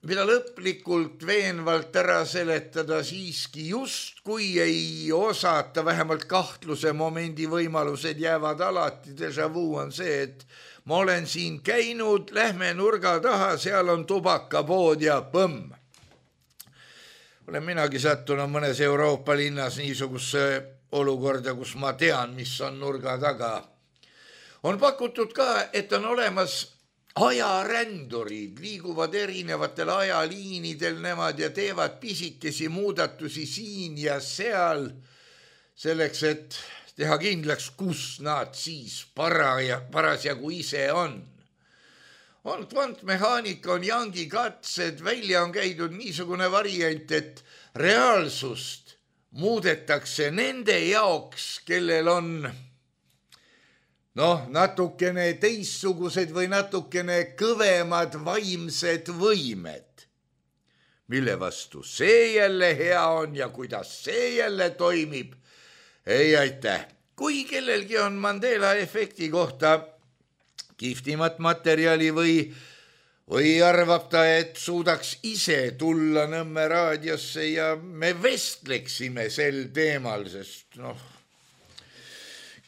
mida lõplikult veenvalt ära seletada siiski just, kui ei osata, vähemalt kahtluse momendi võimalused jäävad alati. Déjà vu on see, et ma olen siin käinud, lähme nurga taha, seal on tubakapood ja põmm. Olen minagi sattunud mõnes Euroopa linnas niisuguse olukorda, kus ma tean, mis on nurga taga. on pakutud ka, et on olemas ajarändurid, liiguvad erinevatel ajaliinidel nemad ja teevad pisikesi muudatusi siin ja seal selleks, et teha kindlaks, kus nad siis paraja, parasjagu ise on. On kvantmehaanika, on Youngi katsed, välja on käidud niisugune variant, et reaalsust muudetakse nende jaoks, kellel on noh, natukene teissugused või natukene kõvemad vaimsed võimed, mille vastu see jälle hea on ja kuidas see jälle toimib. Ei aitäh, kui kellelgi on Mandela efekti kohta kihvtimat materjali või, või arvab ta, et suudaks ise tulla Nõmme raadiosse ja me vestleksime sel teemal, sest noh,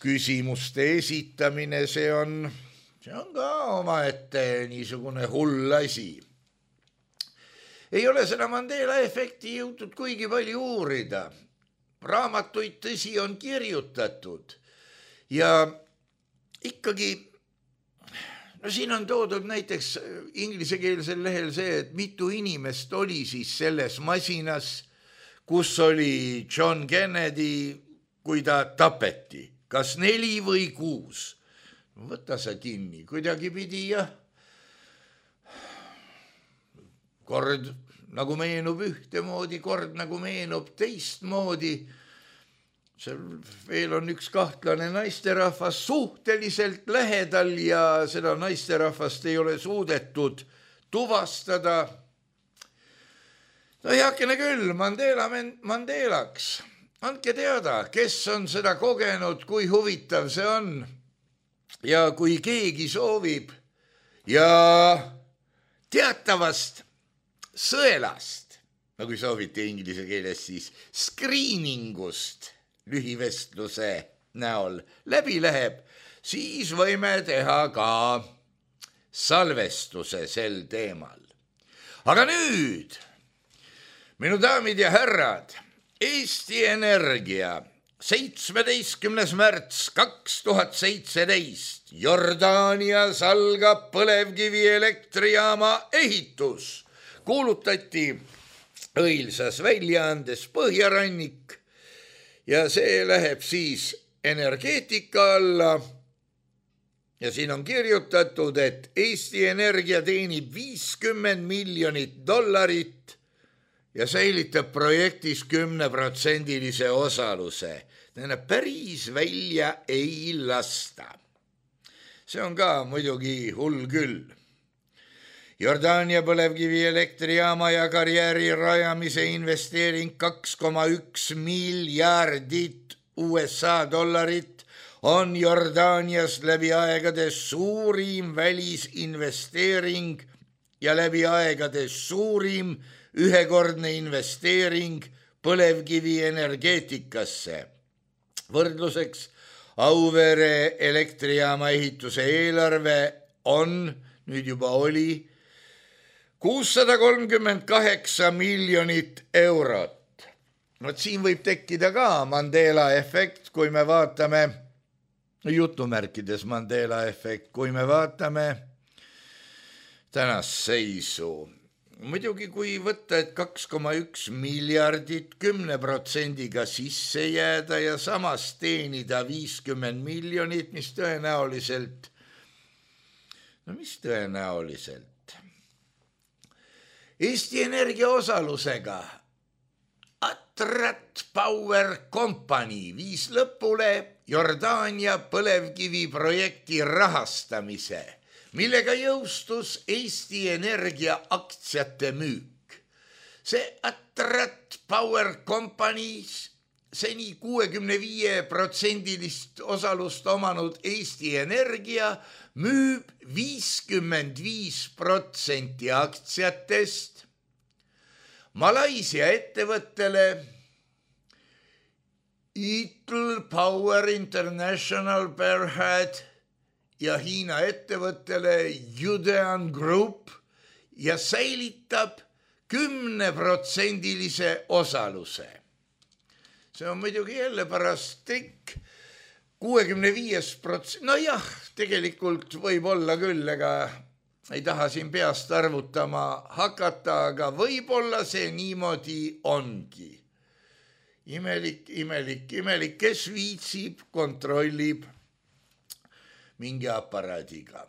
küsimuste esitamine, see on, see on ka omaette niisugune hull asi. Ei ole seda Mandela efekti jõutud kuigi palju uurida. Raamatuid tõsi on kirjutatud ja ikkagi, no siin on toodud näiteks inglisekeelsel lehel see, et mitu inimest oli siis selles masinas, kus oli John Kennedy, kui ta tapeti. Kas neli või kuus? Võta sa kinni, kuidagi pidi ja kord nagu meenub ühtemoodi, kord nagu meenub teistmoodi. Seal veel on üks kahtlane naisterahvas suhteliselt lähedal ja seda naisterahvast ei ole suudetud tuvastada. No heakene küll, Mandela Mandelaks. Andke teada, kes on seda kogenud, kui huvitav see on ja kui keegi soovib ja teatavast sõelast, no kui soovite inglise keeles siis screeningust lühivestluse näol läbi läheb, siis võime teha ka salvestuse sel teemal. Aga nüüd, minu daamid ja härrad, Eesti Energia, seitsmeteistkümnes märts kaks tuhat seitseteist, Jordaanias algab põlevkivi elektrijaama ehitus. Kuulutati õilsas väljaandes Põhjarannik ja see läheb siis energeetika alla. Ja siin on kirjutatud, et Eesti Energia teenib viiskümmend miljonit dollarit ja säilitab projektis kümneprotsendilise osaluse. Tähendab, päris välja ei lasta. See on ka muidugi hull küll. Jordaania põlevkivi elektrijaama ja karjääri rajamise investeering kaks koma üks miljardit U S A dollarit on Jordaanias läbi aegade suurim välisinvesteering ja läbi aegade suurim ühekordne investeering põlevkivi energeetikasse. Võrdluseks Auvere elektrijaama ehituse eelarve on, nüüd juba oli, kuussada kolmkümmend kaheksa miljonit eurot. No siin võib tekkida ka Mandela efekt, kui me vaatame, jutumärkides Mandela efekt, kui me vaatame tänast seisu. Muidugi kui võtta, et kaks koma üks miljardit kümne protsendiga sisse jääda ja samas teenida viiskümmend miljonit, mis tõenäoliselt, no mis tõenäoliselt? Eesti Energia osalusega Atrat Power Company viis lõpule Jordaania põlevkivi projekti rahastamise, millega jõustus Eesti Energia aktsiate müük. See Atrat Power Company, seni kuuekümne viie protsendilist osalust omanud Eesti Energia, müüb viiskümmend viis protsenti aktsiatest Malaisia ettevõttele Eagle Power International Berhad ja Hiina ettevõttele Yudean Group ja säilitab kümneprotsendilise osaluse. See on muidugi jälle pärast trikk. kuuekümne viis protsenti, no jah, tegelikult võib olla küll, ega ei taha siin peast arvutama hakata, aga võib-olla see niimoodi ongi. Imelik, imelik, imelik, kes viitsib, kontrollib mingi aparaadiga.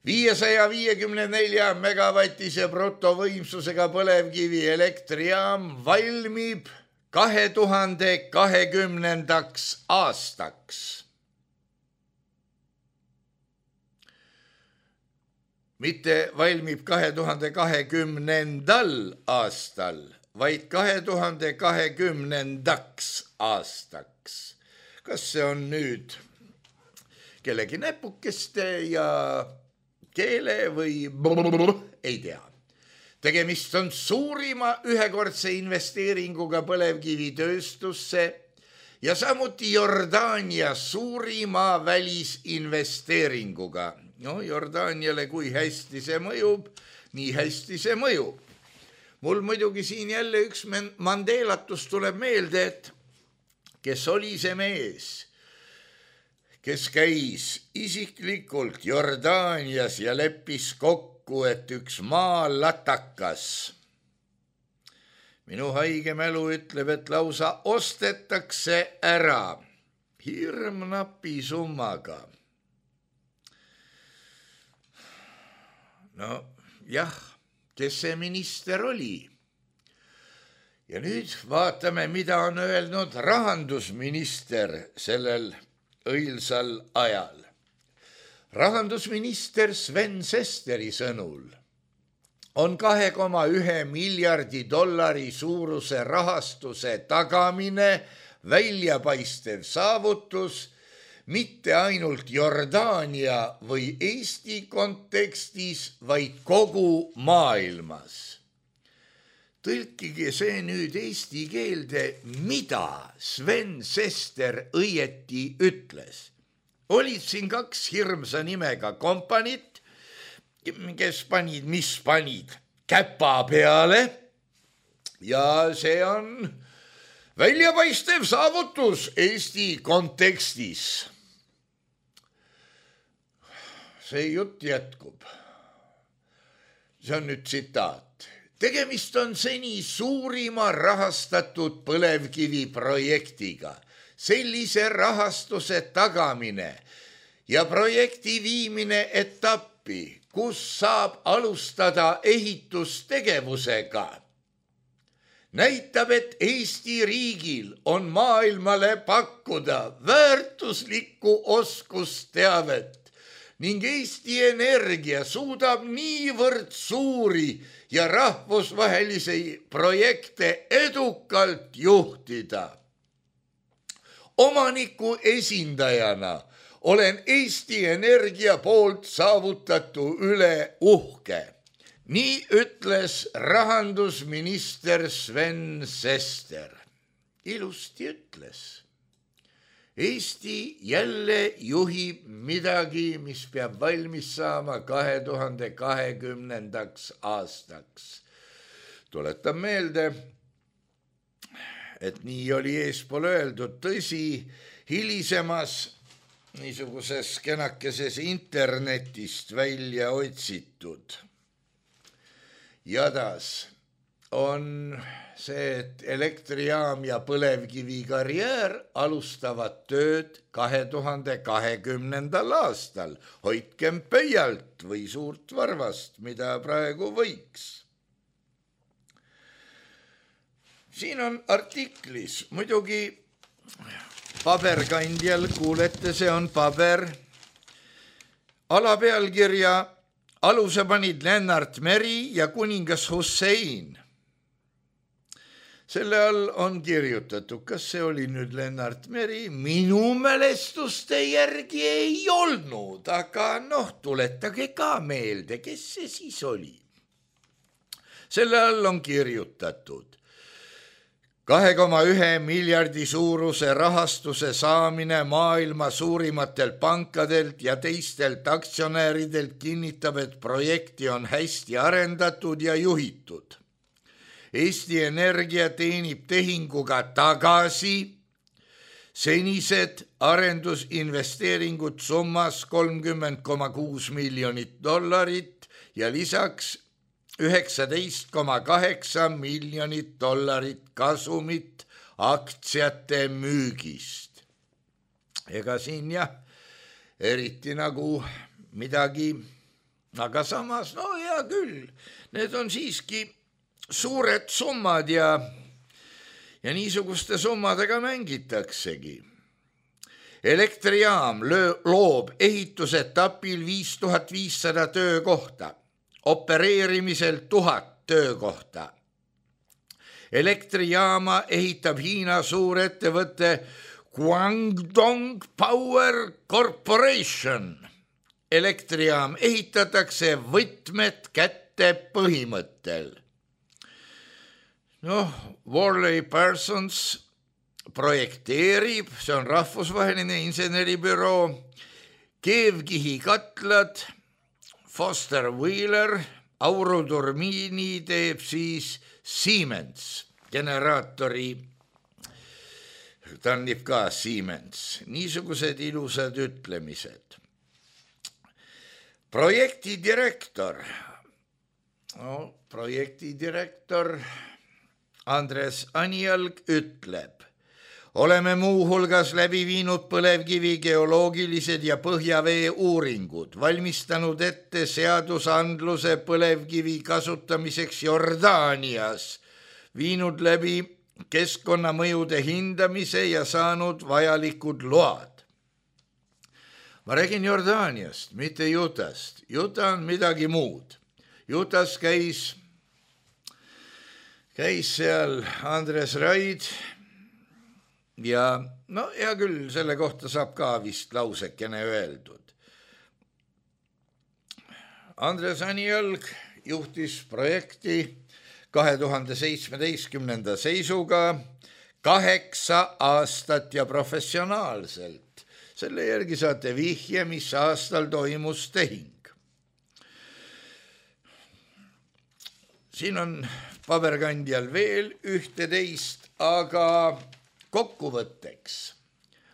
viiesaja viiekümne nelja megavatise brutovõimsusega põlevkivi elektrijaam valmib kahe tuhande kahekümnendaks aastaks. Mitte valmib kahe tuhande kahekümnendal aastal, vaid kahe tuhande kahekümnendaks aastaks. Kas see on nüüd kellegi näpukeste ja keele või brrr, ei tea. Tegemist on suurima ühekordse investeeringuga põlevkivitööstusse ja samuti Jordaania suurima välisinvesteeringuga. No Jordaaniale kui hästi see mõjub, nii hästi see mõjub. Mul muidugi siin jälle üks Mandelatus tuleb meelde, et kes oli see mees, kes käis isiklikult Jordaanias ja leppis kokku, et üks maalatakas. Minu haige mälu ütleb, et lausa ostetakse ära hirmnapi summaga. No jah, kes see minister oli? Ja nüüd vaatame, mida on öelnud rahandusminister sellel õilsal ajal. Rahandusminister Sven Sesteri sõnul on kahe koma ühe miljardi dollari suuruse rahastuse tagamine väljapaistev saavutus mitte ainult Jordaania või Eesti kontekstis, vaid kogu maailmas. Tõlkige see nüüd eesti keelde, mida Sven Sester õieti ütles. Olid siin kaks hirmsa nimega kompanit, kes panid, mis panid käpa peale ja see on väljapaistev saavutus Eesti kontekstis. See jutt jätkub. See on nüüd tsitaat. Tegemist on seni suurima rahastatud põlevkivi projektiga. Sellise rahastuse tagamine ja projekti viimine etappi, kus saab alustada ehitustegevusega, näitab, et Eesti riigil on maailmale pakkuda väärtuslikku oskusteavet ning Eesti Energia suudab niivõrd suuri ja rahvusvahelisi projekte edukalt juhtida. Omaniku esindajana olen Eesti Energia poolt saavutatu üle uhke. Nii ütles rahandusminister Sven Sester. Ilusti ütles. Eesti jälle juhib midagi, mis peab valmis saama kahe tuhande kahekümnendaks aastaks. Tuletan meelde, et nii oli eespool öeldud, tõsi, hilisemas niisuguses kenakeses internetist välja otsitud jadas on see, et elektrijaam ja põlevkivi karjäär alustavad tööd kahe tuhande kahekümnendal aastal. Hoidkem pöialt või suurt varvast, mida praegu võiks. Siin on artiklis, muidugi paberkandjal, kuulete, see on paber, alapealkirja aluse panid Lennart Meri ja kuningas Hussein. Selle all on kirjutatud, kas see oli nüüd Lennart Meri? Minu mälestuste järgi ei olnud, aga noh, tuletage ka meelde, kes see siis oli. Selle all on kirjutatud kahe koma ühe miljardi suuruse rahastuse saamine maailma suurimatelt pankadelt ja teistelt aktsionääridelt kinnitab, et projekti on hästi arendatud ja juhitud. Eesti Energia teenib tehinguga tagasi senised arendusinvesteeringud summas kolmkümmend koma kuus miljonit dollarit ja lisaks üheksateist koma kaheksa miljonit dollarit kasumit aktsiate müügist. Ega siin jah, eriti nagu midagi, aga samas, no hea küll, need on siiski suured summad ja, ja niisuguste summadega mängitaksegi. Elektrijaam loob ehitusetapil viis tuhat viissada töökohta, opereerimisel tuhat töökohta. Elektrijaama ehitab Hiina suurettevõte Guangdong Power Corporation. Elektrijaam ehitatakse võtmed kätte põhimõttel. Noh, Worley Parsons projekteerib, see on rahvusvaheline inseneribüroo, keevkihi katlad, Foster Wheeler, auruturmiini teeb siis Siemens, generaatori tannib ka Siemens. Niisugused ilusad ütlemised. Projektidirektor, no, projektidirektor Andres Anjalg ütleb, oleme muuhulgas läbi viinud põlevkivi geoloogilised ja põhjavee uuringud, valmistanud ette seadusandluse põlevkivi kasutamiseks Jordaanias, viinud läbi keskkonnamõjude hindamise ja saanud vajalikud load. Ma räägin Jordaaniast, mitte Utah'st. Utah on midagi muud. Utah's käis, käis seal Andres Raid ja no hea küll, selle kohta saab ka vist lausekene öeldud. Andres Anjalg juhtis projekti kahe tuhande seitsmeteistkümnenda seisuga kaheksa aastat ja professionaalselt. Selle järgi saate vihje, mis aastal toimus tehing. Siin on paberkandjal veel ühteteist, aga kokkuvõtteks.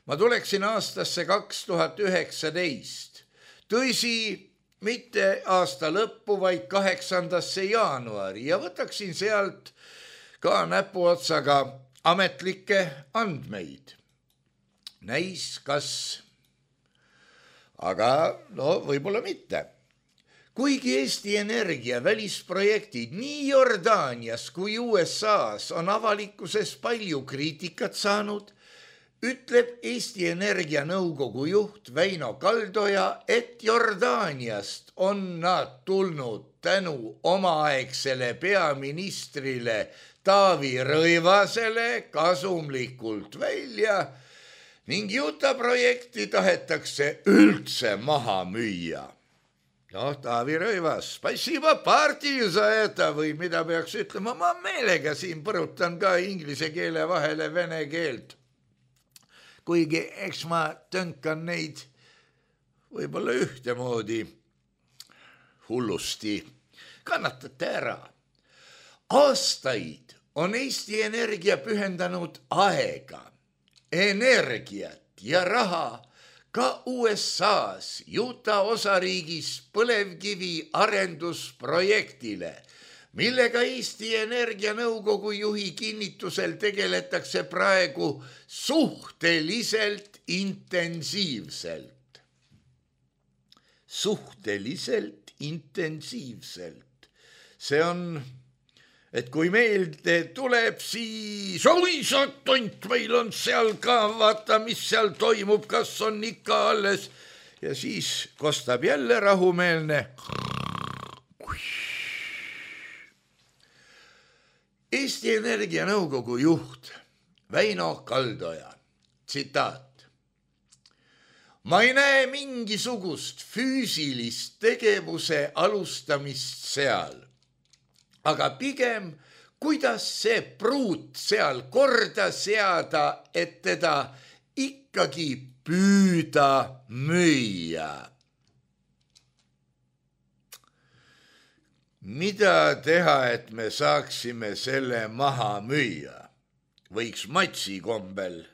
Ma tuleksin aastasse kaks tuhat üheksateist. Tõsi, mitte aasta lõppu, vaid kaheksandasse jaanuari ja võtaksin sealt ka näpuotsaga ametlikke andmeid. Näis kas, aga no võib-olla mitte. Kuigi Eesti Energia välisprojektid nii Jordaanias kui U S A's on avalikkuses palju kriitikat saanud, ütleb Eesti Energia nõukogu juht Väino Kaldoja, et Jordaaniast on nad tulnud tänu omaaegsele peaministrile Taavi Rõivasele kasumlikult välja ning Utah projekti tahetakse üldse maha müüa. Noh, Taavi Rõivas, spasiba partii saeta või mida peaks ütlema, ma meelega siin põrutan ka inglise keele vahele vene keelt. Kuigi eks ma tönkan neid võib-olla ühtemoodi hullusti. Kannatate ära. Aastaid on Eesti Energia pühendanud aega, energiat ja raha ka U S A's Utah osariigis põlevkivi arendusprojektile, millega Eesti Energia nõukogu juhi kinnitusel tegeletakse praegu suhteliselt intensiivselt. Suhteliselt intensiivselt. See on, et kui meelde tuleb, siis oi sa tont, meil on seal ka, vaata, mis seal toimub, kas on ikka alles. Ja siis kostab jälle rahumeelne. Eesti Energia nõukogu juht Väino Kaldoja, tsitaat. Ma ei näe mingisugust füüsilist tegevuse alustamist seal, aga pigem, kuidas see pruut seal korda seada, et teda ikkagi püüda müüa. Mida teha, et me saaksime selle maha müüa? Võiks matsi kombel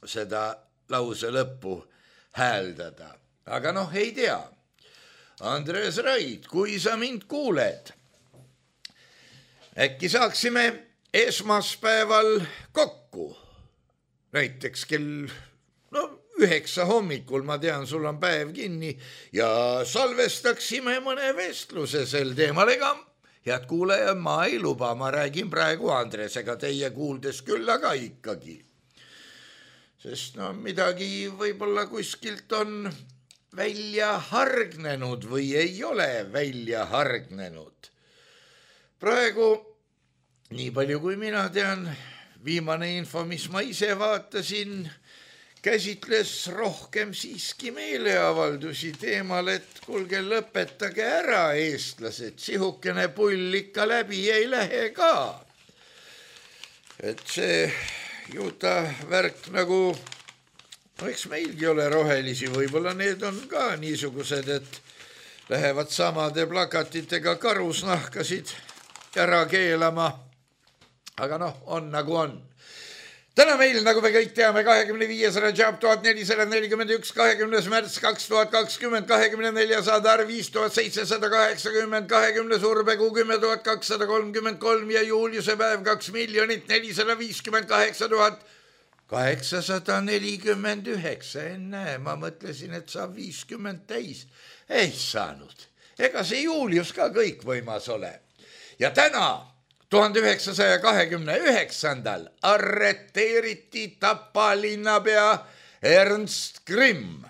seda lause lõppu hääldada. Aga noh, ei tea. Andres Raid, kui sa mind kuuled, äkki saaksime esmaspäeval kokku, näiteks kell no, üheksa hommikul, ma tean, sul on päev kinni ja salvestaksime mõne vestluse sel teemal, ega head kuuleja, ma ei luba, ma räägin praegu Andresega, teie kuuldes küll, aga ikkagi. Sest no midagi võib-olla kuskilt on välja hargnenud või ei ole välja hargnenud. Praegu, nii palju kui mina tean, viimane info, mis ma ise vaatasin, käsitles rohkem siiski meeleavaldusi teemal, et kuulge, lõpetage ära eestlased, sihukene pull ikka läbi ei lähe ka. Et see juuta värk nagu, no eks meilgi ole rohelisi, võib-olla need on ka niisugused, et lähevad samade plakatitega karusnahkasid ära keelama. Aga noh, on nagu on. Täna meil, nagu me kõik teame, kahekümne viies rajab tuhat nelisada nelikümmend üks, kahekümnes märts kaks tuhat kakskümmend, kahekümne neljas adar viis tuhat seitsesada kaheksakümmend, kahekümne surbekuu kümme tuhat kakssada kolmkümmend kolm ja juuliuse päev kaks miljonit nelisada viiskümmend kaheksa tuhat kaheksasada nelikümmend üheksa. Ennäe, ma mõtlesin, et saab viiskümmend täis. Ei saanud. Ega see juulius ka kõik võimas ole. Ja täna tuhande üheksasaja kahekümne üheksandal arreteeriti Tapa linnapea Ernst Grimm.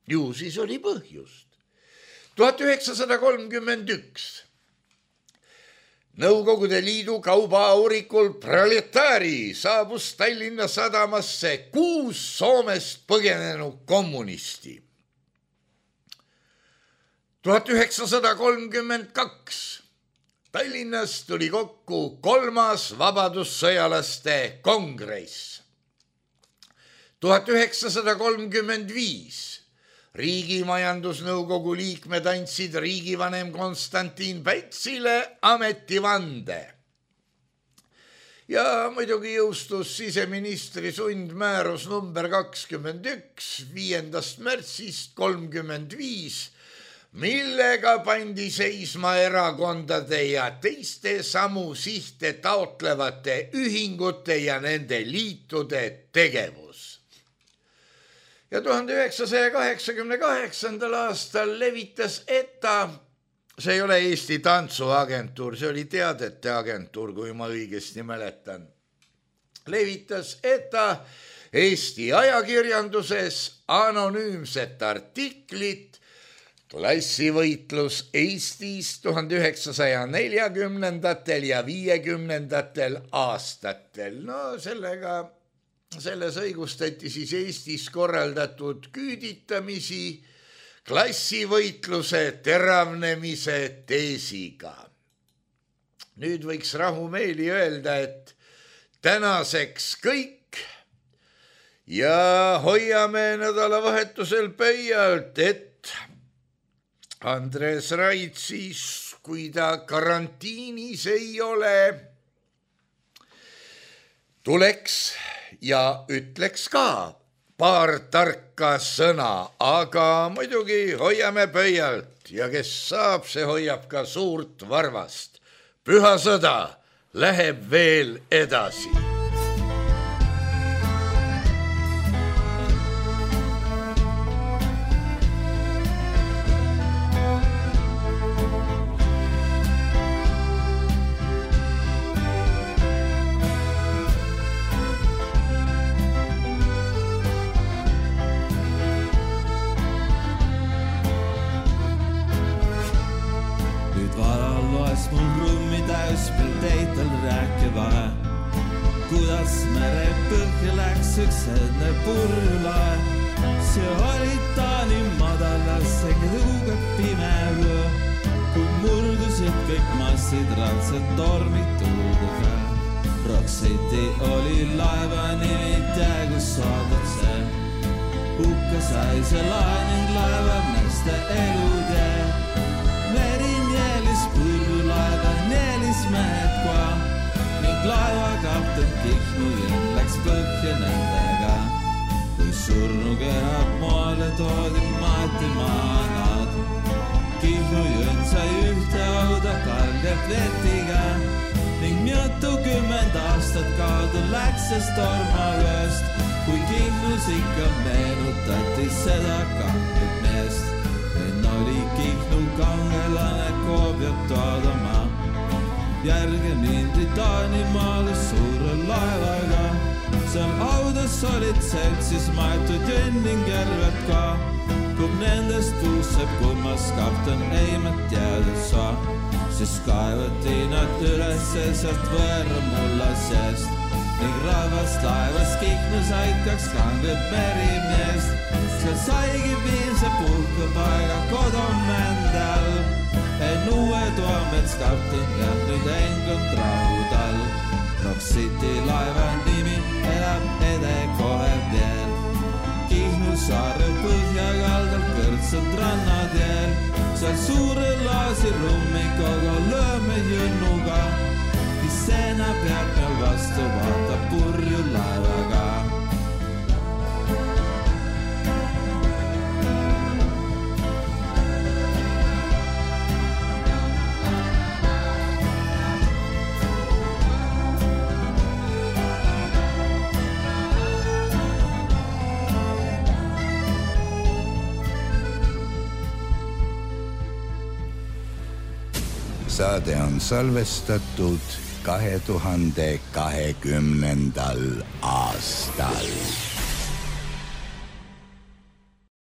Ju siis oli põhjust. tuhat üheksasada kolmkümmend üks Nõukogude Liidu kaubaaurikul Proletari saabus Tallinna sadamasse kuus Soomest põgenenud kommunisti. tuhat üheksasada kolmkümmend kaks Tallinnas tuli kokku kolmas vabadussõjalaste kongress. tuhat üheksasada kolmkümmend viis Riigimajandusnõukogu liikmed andsid riigivanem Konstantin Pätsile ametivande. Ja muidugi jõustus siseministri sundmäärus number kakskümmend üks viiendast märtsist kolmkümmend viis, millega pandi seisma erakondade ja teiste samu sihte taotlevate ühingute ja nende liitude tegevus. Ja tuhande üheksasaja kaheksakümne kaheksandal aastal levitas E T A, see ei ole Eesti tantsuagentuur, see oli teadete agentuur, kui ma õigesti mäletan, levitas E T A Eesti ajakirjanduses anonüümset artiklit Klassivõitlus Eestis tuhande üheksasaja neljakümnendatel ja viiekümnendatel aastatel. No sellega, selles õigustati siis Eestis korraldatud küüditamisi klassivõitluse teravnemise teesiga. Nüüd võiks rahumeeli öelda, et tänaseks kõik ja hoiame nädalavahetusel pöialt, et Andres Raid siis, kui ta karantiinis ei ole, tuleks ja ütleks ka paar tarka sõna, aga muidugi hoiame pöialt ja kes saab, see hoiab ka suurt varvast. Püha sõda läheb veel edasi. Kuidas mere põhja läks üks enne purjulae, see oli Taani madalas ega õuge pime öö, kui murdusid kõik massid raudselt tormid tuudega. Rock City oli laeva nimi tea, kus saadud see. Hukka sai see laening laeva meeste elutee. Meri nielis purjulaeva, nielis mehed koa. Laeva kapten Kihnu jõn läks põhja näin toodi maati maanad. Kihnu jõn sai ühte auda kalgelt vetiga ning mitukümmend aastat kaudu läks see stormavööst, kui Kihnus ikka meenutati seda kanget meest. En oli Kihnu kangelane Koobiot toodama. Järge mindi Taanimaale suure laevaga. Seal audas olid seltsis maetud jõnn ning järved ka. Kui nendest puuseb kummas kapten Eimet jäädud saa, siis kaevati nad ülesse sealt võõra mulla seest ning rahvast laevas Kihnus aitkaks kanget merimeest. Seal saigi viimse puhkepaiga kodomände all. En uue Toomets kapten ja nüüd engund rahudal. Rock City laeva nimi elab ede kohe veel. Kihnu saare põhjakaldal kõrtsad rannad jääl. Seal suure laasi rummikoga lööme jõnnuga. Seena peab meil vastu vaata purju laevaga. Saade on salvestatud kahe tuhande kahekümnendal aastal.